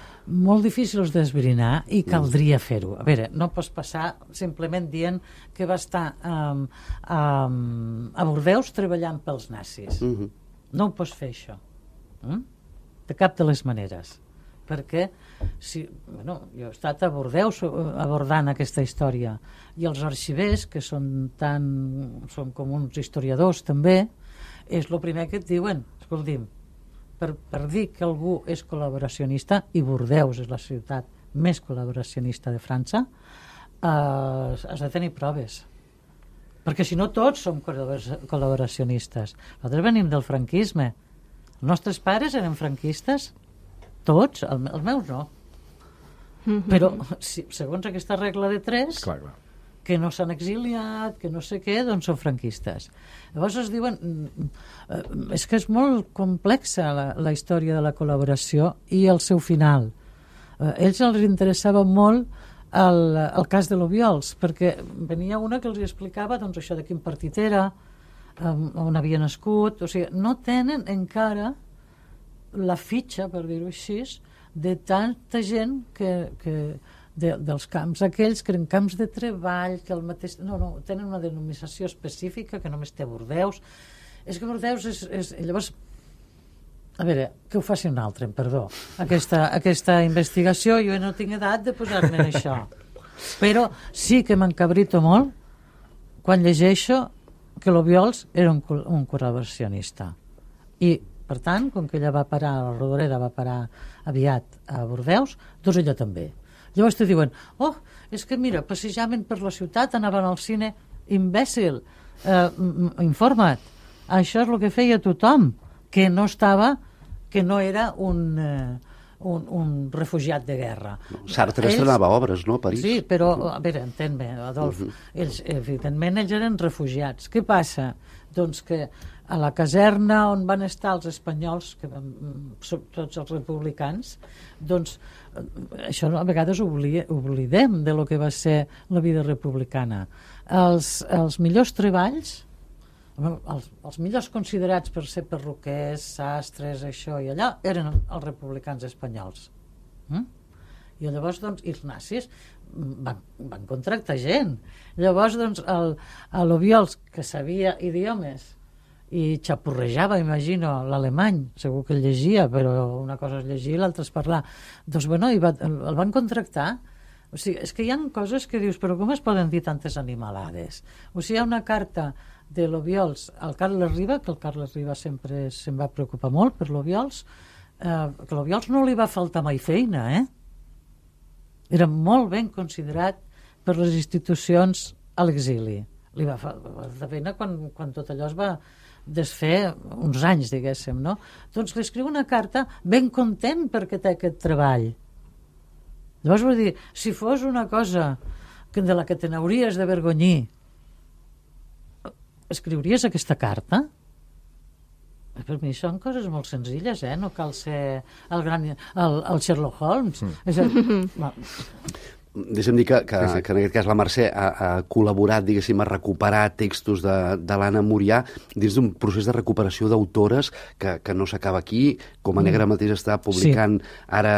difícils d'esbrinar i caldria fer-ho. A veure, no pots passar simplement dient que va estar a Bordeus treballant pels nazis. No ho pots fer, això. De cap de les maneres. Perquè jo he estat a Bordeus abordant aquesta història, i els arxivers, que són com uns historiadors també, és el primer que et diuen, escolti'm, per dir que algú és col·laboracionista, i Bordeus és la ciutat més col·laboracionista de França, has de tenir proves, perquè si no tots som col·laboracionistes. Nosaltres venim del franquisme, els nostres pares eren franquistes, tots, els meus no, però segons aquesta regla de 3, que no s'han exiliat, que no sé què, doncs són franquistes. Llavors es diuen... És que és molt complexa la història de la col·laboració i el seu final. A ells els interessava molt el cas de l'Obiols, perquè venia una que els explicava doncs, això de quin partit era, on havia nascut... O sigui, no tenen encara la fitxa, per dir-ho així, de tanta gent dels camps aquells que eren camps de treball, que el mateix... No, tenen una denominació específica que només té Bordeus. És que Bordeus és... Llavors, a veure, que ho faci un altre, perdó. Aquesta investigació, jo no tinc edat de posar-me en això. Però sí que m'encabrito molt quan llegeixo que l'Obiols era un col·laboracionista. I, per tant, com que ella va parar, la Rodoreda va parar aviat a Bordeus, doncs ella també. Llavors te diuen, és que mira, passejaven per la ciutat, anaven al cine, imbècil, informa't. Això és el que feia tothom, que no era un refugiat de guerra. Sartre estrenava obres, no?, a París. Sí, però, a veure, entén-me, Adolf, ells eren refugiats. Què passa? Doncs que a la caserna on van estar els espanyols, que tots els republicans, doncs això a vegades oblidem de lo que va ser la vida republicana. Els millors treballs, els millors considerats per ser perruquers, sastres, això i allà, eren els republicans espanyols. I llavors, doncs, els nazis van contractar gent. Llavors, doncs, l'Obiols, que sabia idiomes i xapurrejava, imagino, l'alemany, segur que el llegia, però una cosa és llegir i l'altra és parlar. Doncs, bueno, el van contractar. O sigui, és que hi ha coses que dius, però com es poden dir tantes animalades? O sigui, hi ha una carta de l'Obiols al Carles Riba, que el Carles Riba sempre se'n va preocupar molt per l'Obiols, que l'Obiols no li va faltar mai feina, Era molt ben considerat per les institucions a l'exili. Li va faltar feina quan tot allò es va desfer uns anys, diguéssim, no? Doncs li escriu una carta ben content perquè té aquest treball. Llavors vull dir, si fos una cosa de la que te n'hauries d'avergonyir, escriuries aquesta carta? Per mi són coses molt senzilles, no cal ser el Sherlock Holmes. Deixa'm dir que en aquest cas la Mercè ha col·laborat, diguéssim, a recuperar textos de l'Anna Murià dins d'un procés de recuperació d'autores que no s'acaba aquí. Com a Negra mateix està publicant ara,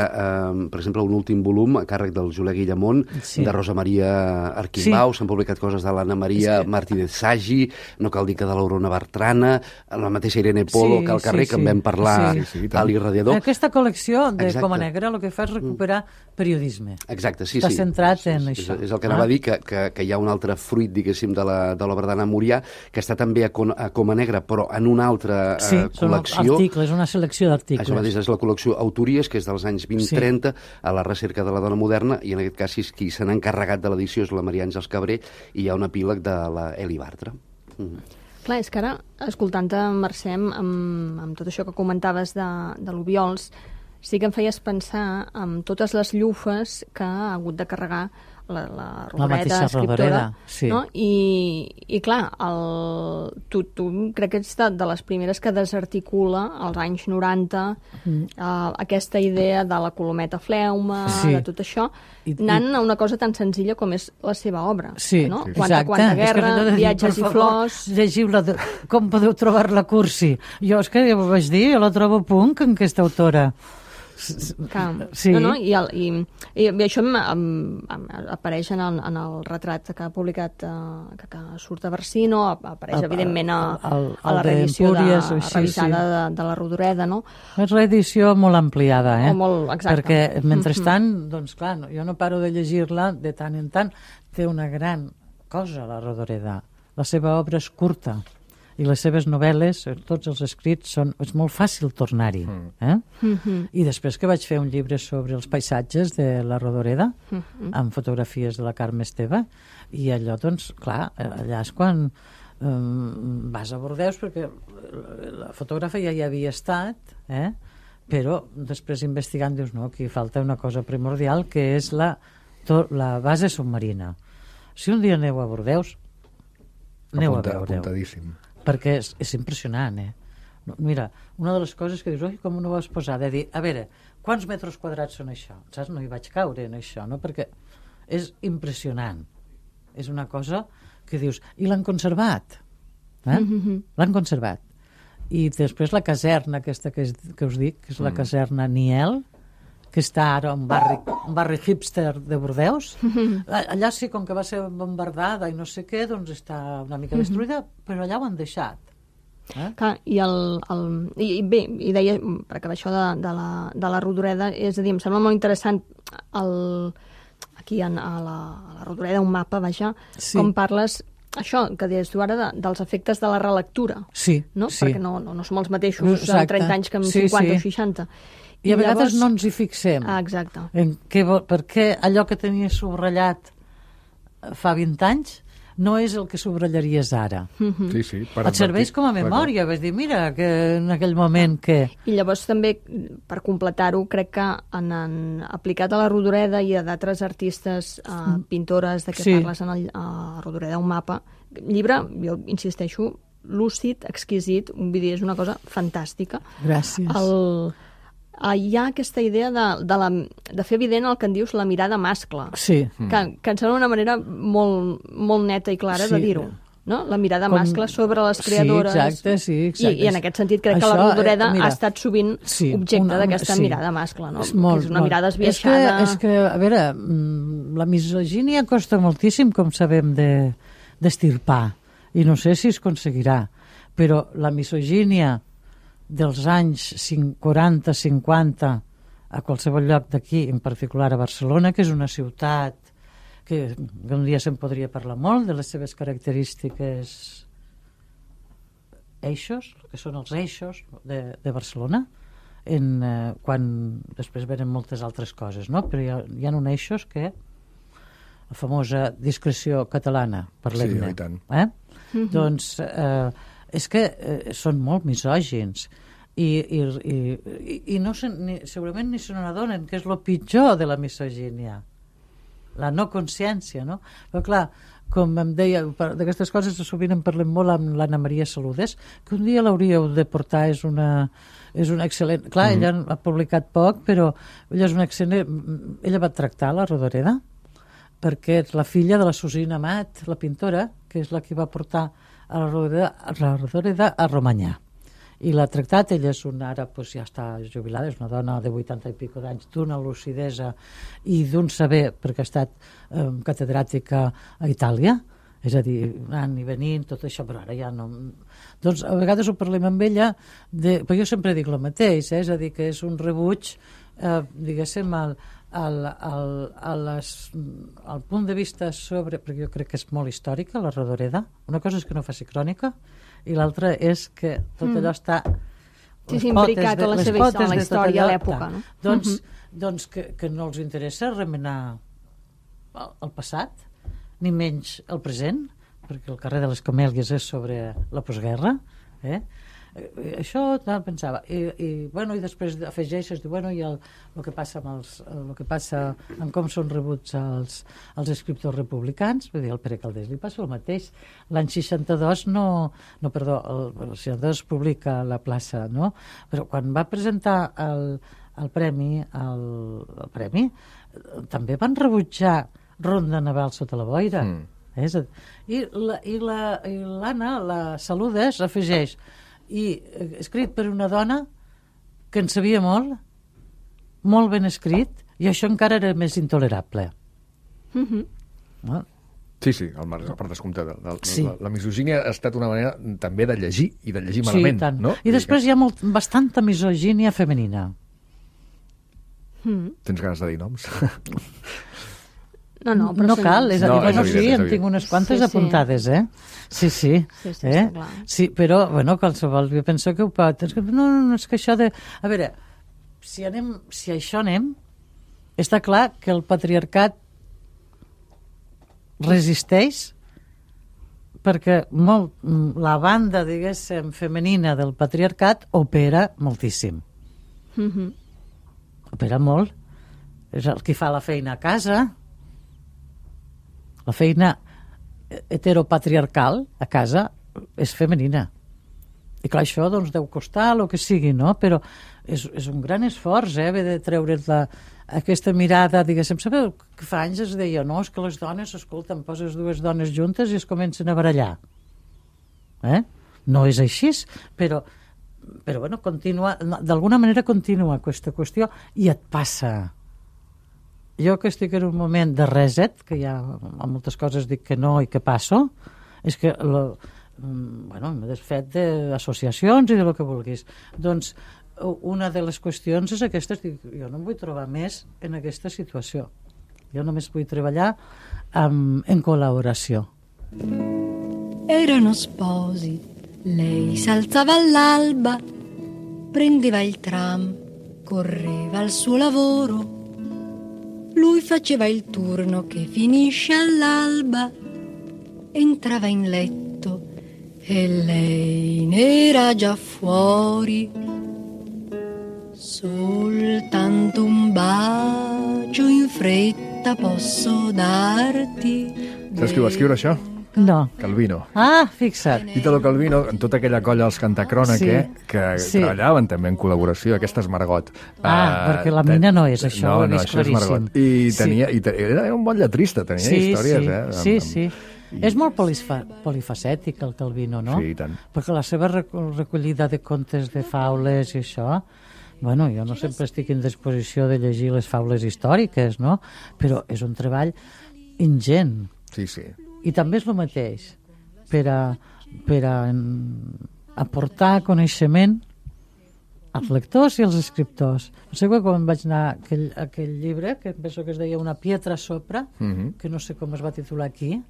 per exemple, un últim volum a càrrec del Julià Guillamont, de Rosa Maria Arquimbau. S'han publicat coses de l'Anna Maria Martínez Sagi, no cal dir que de l'Aurona Bertrana, la mateixa Irene Polo, que al carrer, que en vam parlar a l'Irradiador. Aquesta col·lecció de Com a Negra el que fa és recuperar periodisme. Exacte, sí. Centrat en això. És el que anava a dir, que hi ha un altre fruit, diguéssim, de l'obra d'Anna Murià, que està també a Com a Negra, però en una altra col·lecció. Són articles, una selecció d'articles. Això mateix és la col·lecció Autories, que és dels anys 20-30, a la recerca de la dona moderna, i en aquest cas qui se n'ha encarregat de l'edició és la Maria Àngels Cabré, i hi ha un epíleg de la Eli Bartra. Clar, és que ara, escoltant-te, Mercè, amb tot això que comentaves de l'Obiols, sí que em feies pensar en totes les llufes que ha hagut de carregar la La mateixa escriptora, Rodoreda, sí. no? I clar, tu crec que ets de les primeres que desarticula als anys 90 aquesta idea de la colometa fleuma, Sí. de tot això, anant a una cosa tan senzilla com és la seva obra. Sí, no? exacte. Quanta guerra, És que allò de dir, viatges per i favor, flors... Llegiu-la, com podeu trobar-la cursi? Jo és que ja ho vaig dir, jo la trobo punk, en aquesta autora. Sí. No, i això apareix en el retrat que ha publicat, que surt a Barsino, apareix evidentment a la reedició revisada de la Rodoreda, no? És reedició molt ampliada, exacte. Perquè, mentrestant, doncs clar, jo no paro de llegir-la de tant en tant. Té una gran cosa, la Rodoreda. La seva obra és curta i les seves novel·les, tots els escrits, és molt fàcil tornar-hi. I després que vaig fer un llibre sobre els paisatges de la Rodoreda, amb fotografies de la Carme Esteve, i allò, doncs, clar, allà és quan vas a Bordeus, perquè la fotògrafa ja hi havia estat, però després investigant dius, no, aquí falta una cosa primordial, que és la base submarina. Si un dia aneu a Bordeus, aneu a veure-ho. Apuntadíssim. Perquè és impressionant, Mira, una de les coses que dius, oi, com no ho vas posar, de dir, a veure, quants metres quadrats són això? Saps? No hi vaig caure en això, no? Perquè és impressionant. És una cosa que dius, i l'han conservat. L'han conservat. I després la caserna aquesta que us dic, que és la caserna Niel, que està ara un barri hipster de Bordeus. Allà sí, com que va ser bombardada i no sé què, doncs està una mica destruïda, però allà ho han deixat. Clar, i bé, i deia, per acabar això de la Rodoreda, és a dir, em sembla molt interessant aquí a la Rodoreda, un mapa, vaja, com parles això, que deies tu ara, dels efectes de la relectura. Sí, no? Sí. Perquè no som els mateixos en 30 anys que en 50 o 60. I a vegades no ens hi fixem. Exacte. Per què allò que tenies subratllat fa 20 anys no és el que subratllaries ara. Sí, sí. Et serveix com a memòria. Vas dir, mira, que en aquell moment que... I llavors també, per completar-ho, crec que han aplicat a la Rodoreda i a d'altres artistes, pintores, de què parles a Rodoreda, un mapa. Llibre, jo insisteixo, lúcid, exquisit, un vídeo és una cosa fantàstica. Gràcies. Hi ha aquesta idea de fer evident el que en dius la mirada mascle, sí. que em sembla una manera molt neta i clara de dir-ho. No? La mirada mascle sobre les creadores. Sí, exacte. I en aquest sentit crec que la Rodoreda ha estat sovint objecte d'aquesta mirada mascle, no? Que és una mirada esbiaixada. És que, a veure, la misogínia costa moltíssim, com sabem, d'estirpar. I no sé si es aconseguirà. Però la misogínia dels anys 40-50 a qualsevol lloc d'aquí, en particular a Barcelona, que és una ciutat que un dia se'n podria parlar molt de les seves característiques eixos, que són els eixos de Barcelona, quan després venen moltes altres coses, no? Però hi ha uns eixos que la famosa discreció catalana, parlem-ne. Sí, i tant. Doncs és que són molt misògins i no segurament ni se n'adonen, que és el pitjor de la misogínia, la no consciència, no? Però clar, com em deia, d'aquestes coses sovint en parlem molt amb l'Anna Maria Saludes, que un dia l'hauríeu de portar, és una excel·lent... Clar, ella ha publicat poc, però ella és una excel·lent... Ella va tractar la Rodoreda, perquè és la filla de la Susina Amat, la pintora, que és la que va portar a la Rodoreda a Romanyà. I l'ha tractat, ella és ara ja està jubilada, és una dona de 80 i pico d'anys, d'una lucidesa i d'un saber, perquè ha estat catedràtica a Itàlia, és a dir, anant i venint, tot això, però ara ja no... Doncs a vegades ho parlem amb ella, però jo sempre dic el mateix, és a dir, que és un rebuig, diguéssim, al punt de vista sobre, perquè jo crec que és molt històrica, la Rodoreda. Una cosa és que no faci crònica i l'altra és que tot allò està... imbricat a la seva història, la història, a l'època, no? Doncs que no els interessa remenar el passat, ni menys el present, perquè el carrer de les Camèlies és sobre la postguerra, això tal, pensava, i després afegeixes, diu, i el que passa amb com són rebuts els escriptors republicans, vull dir, el Pere Calders li passa el mateix. L'any 62 el 62 publica La plaça, no? Però quan va presentar el premi, també van rebutjar Ronda Naval sota la boira. I l'Anna, la Saludes, afegeix, i escrit per una dona que en sabia molt ben escrit, i això encara era més intolerable. Sí, per descomptat. La misogínia ha estat una manera també de llegir, i de llegir malament. No? I després hi ha bastanta misogínia femenina. Tens ganes de dir noms? No cal, és a dir, en tinc unes quantes apuntades, Sí, clar. Sí, però, qualsevol, jo penso que ho pot. No, és que això de... A veure, si això anem, està clar que el patriarcat resisteix perquè la banda, diguéssim, femenina del patriarcat opera moltíssim. Opera molt. És el que fa la feina a casa. La feina heteropatriarcal a casa és femenina. I clar, això deu costar el que sigui, no? Però és un gran esforç, haver de treure's aquesta mirada, diguéssim. Sabeu que fa anys es deia, no, és que les dones, escolta, poses dues dones juntes i es comencen a barallar. No és així, però continua, d'alguna manera continua aquesta qüestió i et passa. Jo que estic en un moment de reset, que ja a moltes coses dic que no i que passo, és que m'he desfet d'associacions i de lo que vulguis. Doncs una de les qüestions és aquesta, jo no em vull trobar més en aquesta situació. Jo només vull treballar en col·laboració. Erano sposi, lei s'alzava all'alba, prendeva il tram, correva al suo lavoro. Lui faceva il turno che finisce all'alba, entrava in letto e lei n'era già fuori. Soltanto un bacio in fretta posso darti. Saps qui va escriure això? No. Calvino. Fixa't. Italo Calvino, en tota aquella colla dels Cantacròniche, que treballaven també en col·laboració, aquesta és Margot. Perquè la mina no és això, ho he vist claríssim. Era un bon lletrista, tenia històries, Sí. És molt polifacètic el Calvino, no? Sí, i tant. Perquè la seva recollida de contes de faules i això, jo no sempre estic en disposició de llegir les faules històriques, no? Però és un treball ingent. Sí. I també és el mateix per a aportar coneixement als lectors i als escriptors. No sé quan vaig anar a aquell llibre, que penso que es deia Una pietra sopra, que no sé com es va titular aquí,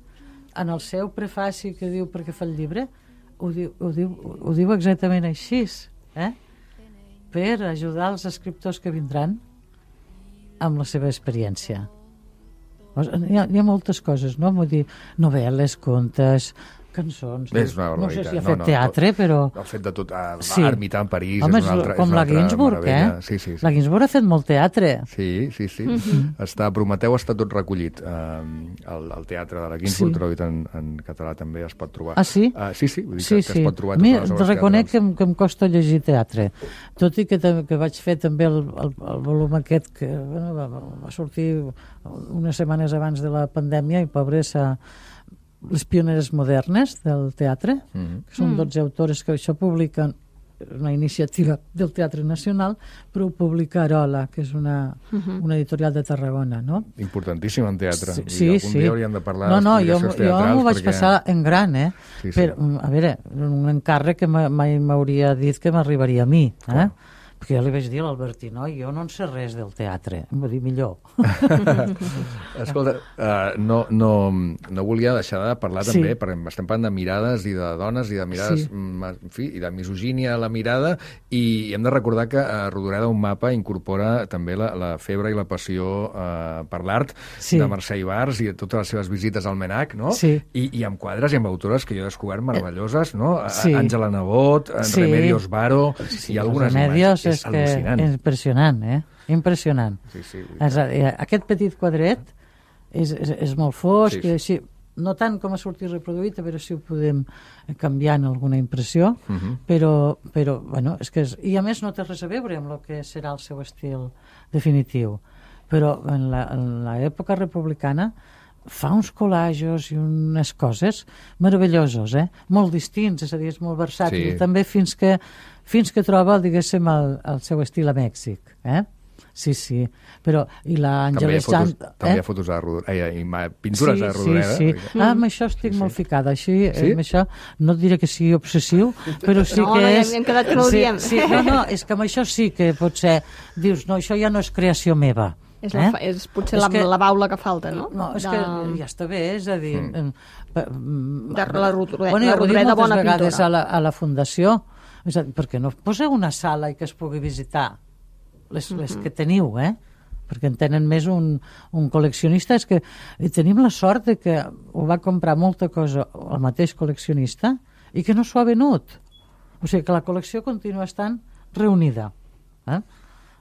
en el seu prefaci que diu per què fa el llibre, ho diu exactament així, per ajudar els escriptors que vindran amb la seva experiència. Hi ha moltes coses, no? Vull dir, novel·les, contes, cançons... No sé si ha fet teatre, però... Ha fet de tot. Ermità en París és una altra com la Ginsburg, Sí. La Ginsburg ha fet molt teatre. Sí. Prometeu està tot recollit. El teatre de la Ginsburg, traduït en català, també es pot trobar. Sí? Sí, vull dir que es pot trobar. A mi reconec que em costa llegir teatre. Tot i que vaig fer també el volum aquest que va sortir unes setmanes abans de la pandèmia i pobres les pioneres modernes del teatre, que són 12 autores que això publiquen, una iniciativa del Teatre Nacional, però ho publica Arola, que és una editorial de Tarragona, no? Importantíssim en teatre. Sí. Algun dia hauríem de parlar d'explicacions teatrals. Jo m'ho vaig passar en gran, Però, a veure, un encàrrec que mai m'hauria dit que m'arribaria a mi, Perquè jo li vaig dir a l'Albertí, no, jo no en sé res del teatre. Em va dir, millor. Escolta, no volia deixar de parlar també, perquè estem parlant de mirades i de dones i de mirades, en fi, i de misogínia a la mirada, i hem de recordar que Rodoreda, un mapa, incorpora també la febre i la passió per l'art de Mercè Ibars i totes les seves visites al Menac, no? Sí. I amb quadres i amb autores que jo he descobert meravelloses, no? Àngela Nebot, Remedios Varo i algunes Remedios més. És al·lucinant. Impressionant, impressionant. Sí. Aquest petit quadret és molt fosc, i així, no tant com ha sortit reproduït, a veure si ho podem canviar en alguna impressió, però bueno, és que i a més no té res a veure amb el que serà el seu estil definitiu. Però en l'època republicana fa uns collages i unes coses meravellosos, molt distints, és a dir, és molt versàtil, també fins que troba, diguéssim, el seu estil a Mèxic, Sí, però i l'Àngela Sant... També hi ha fotos de Rodoreda, i pintures de Rodoreda. Sí. Amb això estic molt ficada, així, amb això no et diré que sigui obsessiu, però sí que és... No, hem quedat que no ho diem. No, és que amb això sí que potser dius, no, això ja no és creació meva. És potser la baula que falta, no? No, és que ja està bé, és a dir... La Rodoreda, moltes bona vegades pintora. a la Fundació, és a dir, perquè no poseu una sala i que es pugui visitar les que teniu, perquè en tenen més un col·leccionista. És que tenim la sort de que ho va comprar molta cosa el mateix col·leccionista i que no s'ho ha venut. O sigui que la col·lecció continua estant reunida.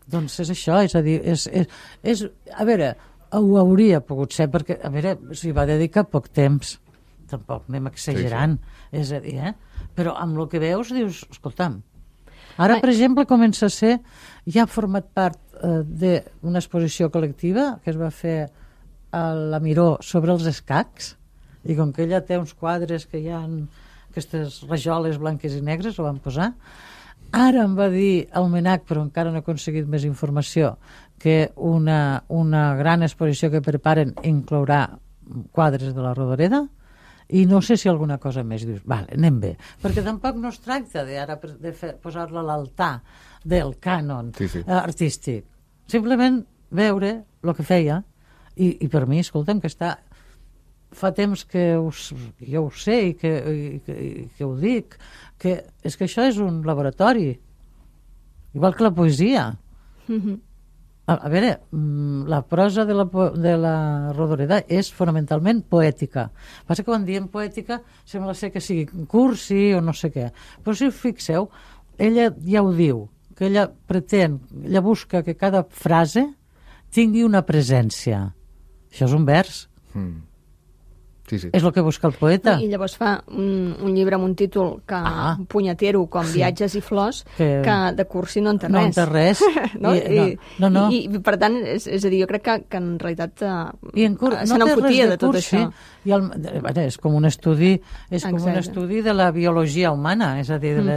Doncs és això, és a dir, a veure, ho hauria pogut ser, perquè, a veure, s'hi va dedicar poc temps, tampoc anem exagerant, és a dir, però amb el que veus dius, escolta'm, ara, per exemple, comença a ser, ja ha format part d'una exposició col·lectiva que es va fer a la Miró sobre els escacs, i com que ella té uns quadres que hi ha aquestes rajoles blanques i negres, ho van posar. Ara em va dir el Menac, però encara no he aconseguit més informació, que una gran exposició que preparen inclourà quadres de la Rodoreda, i no sé si alguna cosa més. Dius, vale, anem bé, perquè tampoc no es tracta de posar-la a l'altar del cànon artístic, simplement veure el que feia, i per mi, escolta'm, que fa temps que jo ho sé i que ho dic, que és que això és un laboratori, igual que la poesia. A veure, la prosa de la Rodoreda és fonamentalment poètica. Passa que quan diem poètica sembla ser que sigui cursi o no sé què. Però si us fixeu, ella ja ho diu, que ella busca que cada frase tingui una presència. Això és un vers. Sí. És el que busca el poeta. I llavors fa un llibre amb un títol punyetero, com Viatges i flors, que de cursi no en té res. No en té res. No. I per tant, és a dir, jo crec que en realitat se n'enfotia de tot això. És com un estudi de la biologia humana, és a dir, en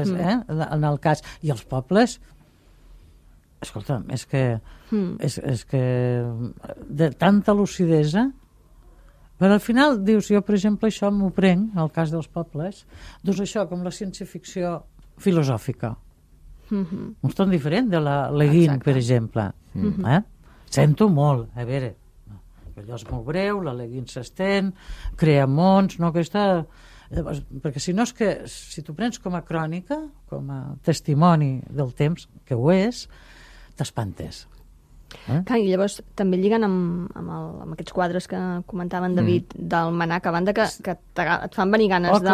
el cas. I els pobles, escolta'm, és que de tanta lucidesa. Però al final dius, jo per exemple això m'ho prenc, en el cas dels pobles, doncs això, com la ciència-ficció filosòfica. Un ton diferent de la Le Guin, per exemple. Sento molt, a veure, allò és molt breu, la Le Guin s'estén, crea mons, no? Perquè si no és que, si t'ho prens com a crònica, com a testimoni del temps, que ho és, t'espantes. I llavors també lliguen amb aquests quadres que comentaven David del Menac, a banda que et fan venir ganes de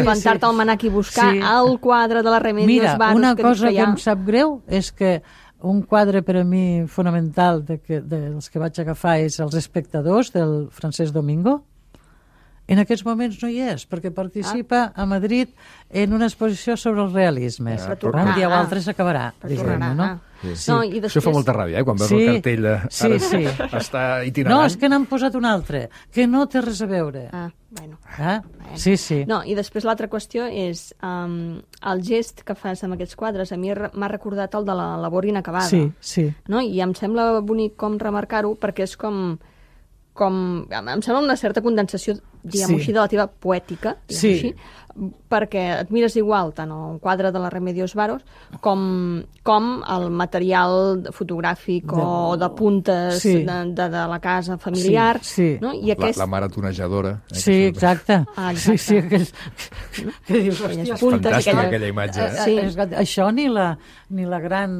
plantar-te al Menac i buscar el quadre de la Remedios Varo. Mira, una cosa que em sap greu és que un quadre per a mi fonamental dels que vaig agafar és Els espectadors, del Francesc Domingo. En aquests moments no hi és, perquè participa a Madrid en una exposició sobre els realismes. Un dia o altre s'acabarà, diguem-ne, no? Sí. Això fa molta ràbia, quan veus el cartell està itinerant. No, és que n'han posat un altre, que no té res a veure. Bueno. Sí. No, i després l'altra qüestió és el gest que fas amb aquests quadres. A mi m'ha recordat el de la labor inacabada. Sí. No? I em sembla bonic com remarcar-ho, perquè és com em sembla una certa condensació diguem-ho així, de la teva poètica, Sí. així, perquè et mires igual tant un quadre de la Remedios Varos com el material fotogràfic o de puntes Sí. de la casa familiar. Sí, sí. No? I aquest... La mare tonejadora. Sí, exacte. Exacte. Sí, aquells... que dius, Aquelles hòstia, puntes, Fantàstica aquella imatge. Sí. Això ni la gran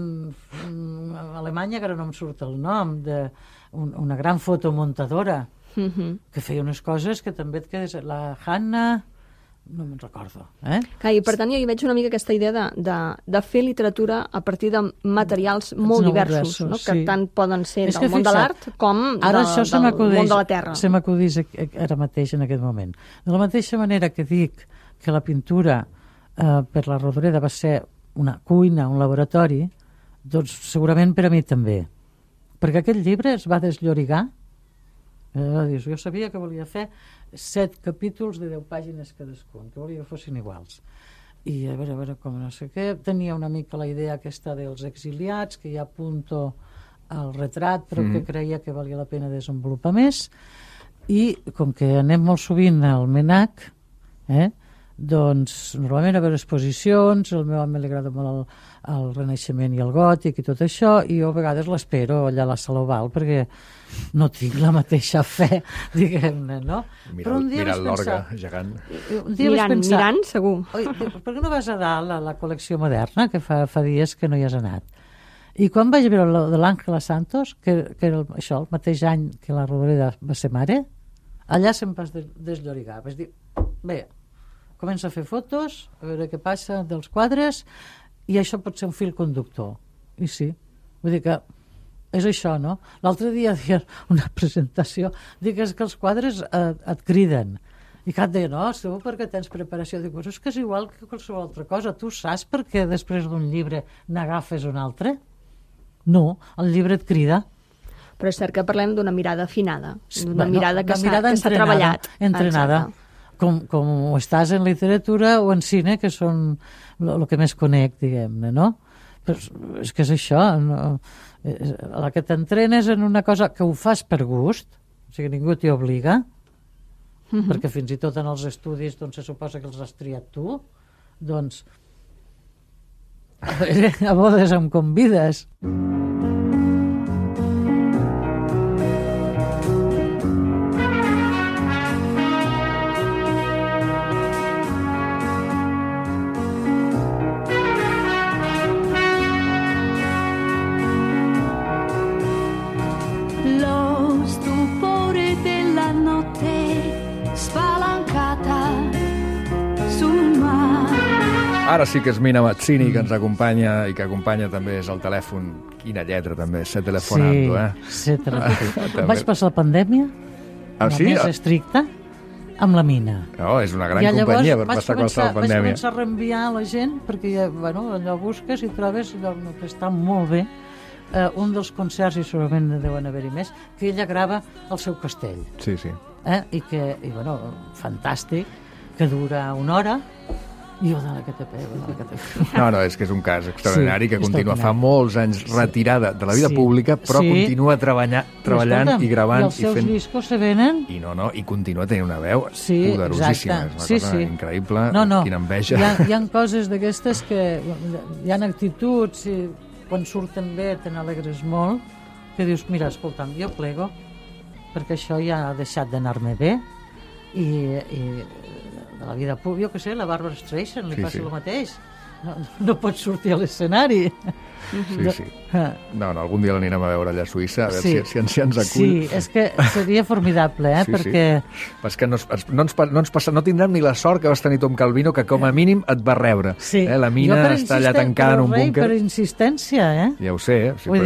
Alemanya, que ara no em surt el nom, una gran fotomuntadora, que feia unes coses que també et quedes... La Hanna... No me'n recordo. Clar, i per tant jo hi veig una mica aquesta idea de fer literatura a partir de materials molt diversos, no? Que tant poden ser del món de l'art com del món de la terra. Se m'acudís ara mateix en aquest moment. De la mateixa manera que dic que la pintura per la Rodoreda va ser una cuina, un laboratori, doncs segurament per a mi també. Perquè aquest llibre es va desllorigar. Jo sabia que volia fer 7 capítols de 10 pàgines cadascun, que volia que fossin iguals. I a veure com no sé què, tenia una mica la idea aquesta dels exiliats, que ja apunto al retrat, però que creia que valia la pena desenvolupar més. I com que anem molt sovint al MNAC, doncs normalment a veure exposicions, al meu home li agrada molt el Renaixement i el Gòtic i tot això, i jo a vegades l'espero allà a la Sala Oval perquè no tinc la mateixa fe, diguem-ne, no? Mirant l'orgue gegant. Mirant, segur. Oi, per què no vas a dalt a la col·lecció moderna, que fa dies que no hi has anat? I quan vaig veure el de l'Àngela Santos, que era això, el mateix any que la Rodoreda va ser mare, allà se'm va desllorigar. Vaig dir, bé, comença a fer fotos, a veure què passa dels quadres, i això pot ser un fil conductor. I sí, vull dir que és això, no? L'altre dia deia una presentació, dic que els quadres et criden. I Cat deia, no, segur perquè tens preparació. Dic, és que és igual que qualsevol altra cosa. Tu saps per què després d'un llibre n'agafes un altre? No, el llibre et crida. Però és cert que parlem d'una mirada afinada, d'una mirada que s'ha treballat. Entrenada. Com ho estàs en literatura o en cine, que són el que més conec, diguem-ne, no? Però és que és això, no? A la que t'entrenes en una cosa que ho fas per gust, o sigui, ningú t'hi obliga, perquè fins i tot en els estudis doncs, se suposa que els has triat tu, doncs a bodes em convides. Ara sí que és Mina Mazzini, que ens acompanya i que acompanya també és el telèfon. Quina lletra també, Se Telefonando, Sí, Se Telefonando. Vaig passar la pandèmia, més estricta, amb la Mina. No, és una gran companyia per passar qualsevol pandèmia. Vaig començar a reenviar a la gent, perquè ja, allò busques i trobes allò que està molt bé. Un dels concerts, i segurament ne deuen haver-hi més, que ella grava al seu castell. Sí, sí. I fantàstic, que dura 1 hora, i jo de la que te pego. No, és que és un cas extraordinari que continua fa molts anys retirada de la vida pública, però continua treballant i gravant. I els seus discos se venen. I continua tenint una veu poderosíssima. És una cosa increïble, quina enveja. Hi ha coses d'aquestes que hi ha actituds i quan surten bé te n'alegres molt, que dius, mira, escolta'm, jo plego perquè això ja ha deixat d'anar-me bé i de la vida pública, jo què sé, la Barbara Streisand li passa el mateix. No pot sortir a l'escenari. Sí. No, algun dia l'anirem a veure allà a Suïssa, a veure si ens acull. Sí, és que seria formidable, perquè... És que no tindrem ni la sort que vas tenir Tom Calvino, que com a mínim et va rebre. La Mina està allà tancada en un búnquer. Per insistència, Ja ho sé, però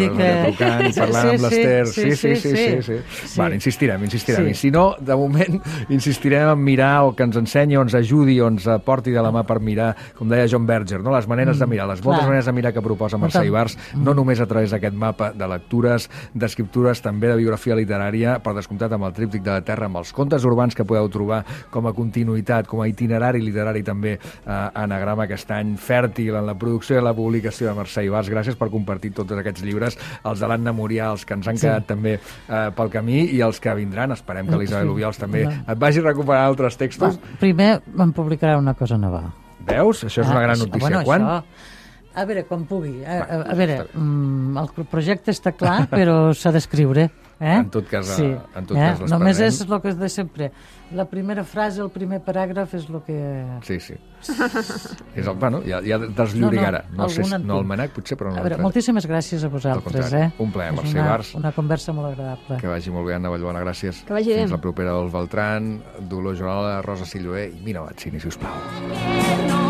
trucant i parlant amb l'Ester. Sí. Bueno, insistirem. I si no, de moment, insistirem en mirar o que ens ensenyi o ens ajudi o ens porti de la mà per mirar, com deia John Berger, no? Les maneres de mirar, les moltes maneres de mirar que proposa Mercè Ibars, no només a través d'aquest mapa de lectures, d'escriptures, també de biografia literària, per descomptat amb el tríptic de la Terra, amb els contes urbans que podeu trobar com a continuïtat, com a itinerari literari també Anagrama aquest any, fèrtil en la producció i la publicació de Mercè Ibars. Gràcies per compartir tots aquests llibres, els de l'Anna Murià, els que ens han quedat també pel camí i els que vindran. Esperem que l'Isabel Obiols també et vagi recuperant altres textos. Primer em publicarà una cosa nova. Veus? Això és una gran notícia. Quan? A veure, quan pugui. A veure, el projecte està clar, però s'ha d'escriure. En tot cas, l'esperem. Només és el que és de sempre. La primera frase, el primer paràgraf és el que... Sí. És el, bueno, ja desllorigarà. No sé, no el manac, potser, però no. A veure, moltíssimes gràcies a vosaltres. Un plaer, Mercè Ibars. Una conversa molt agradable. Que vagi molt bé, Anna Vallbona, gràcies. Que vagi bé. Fins la propera, Dolors Beltran, Dolors Joanola, Rosa Silloé i Mina Batzini, si us plau.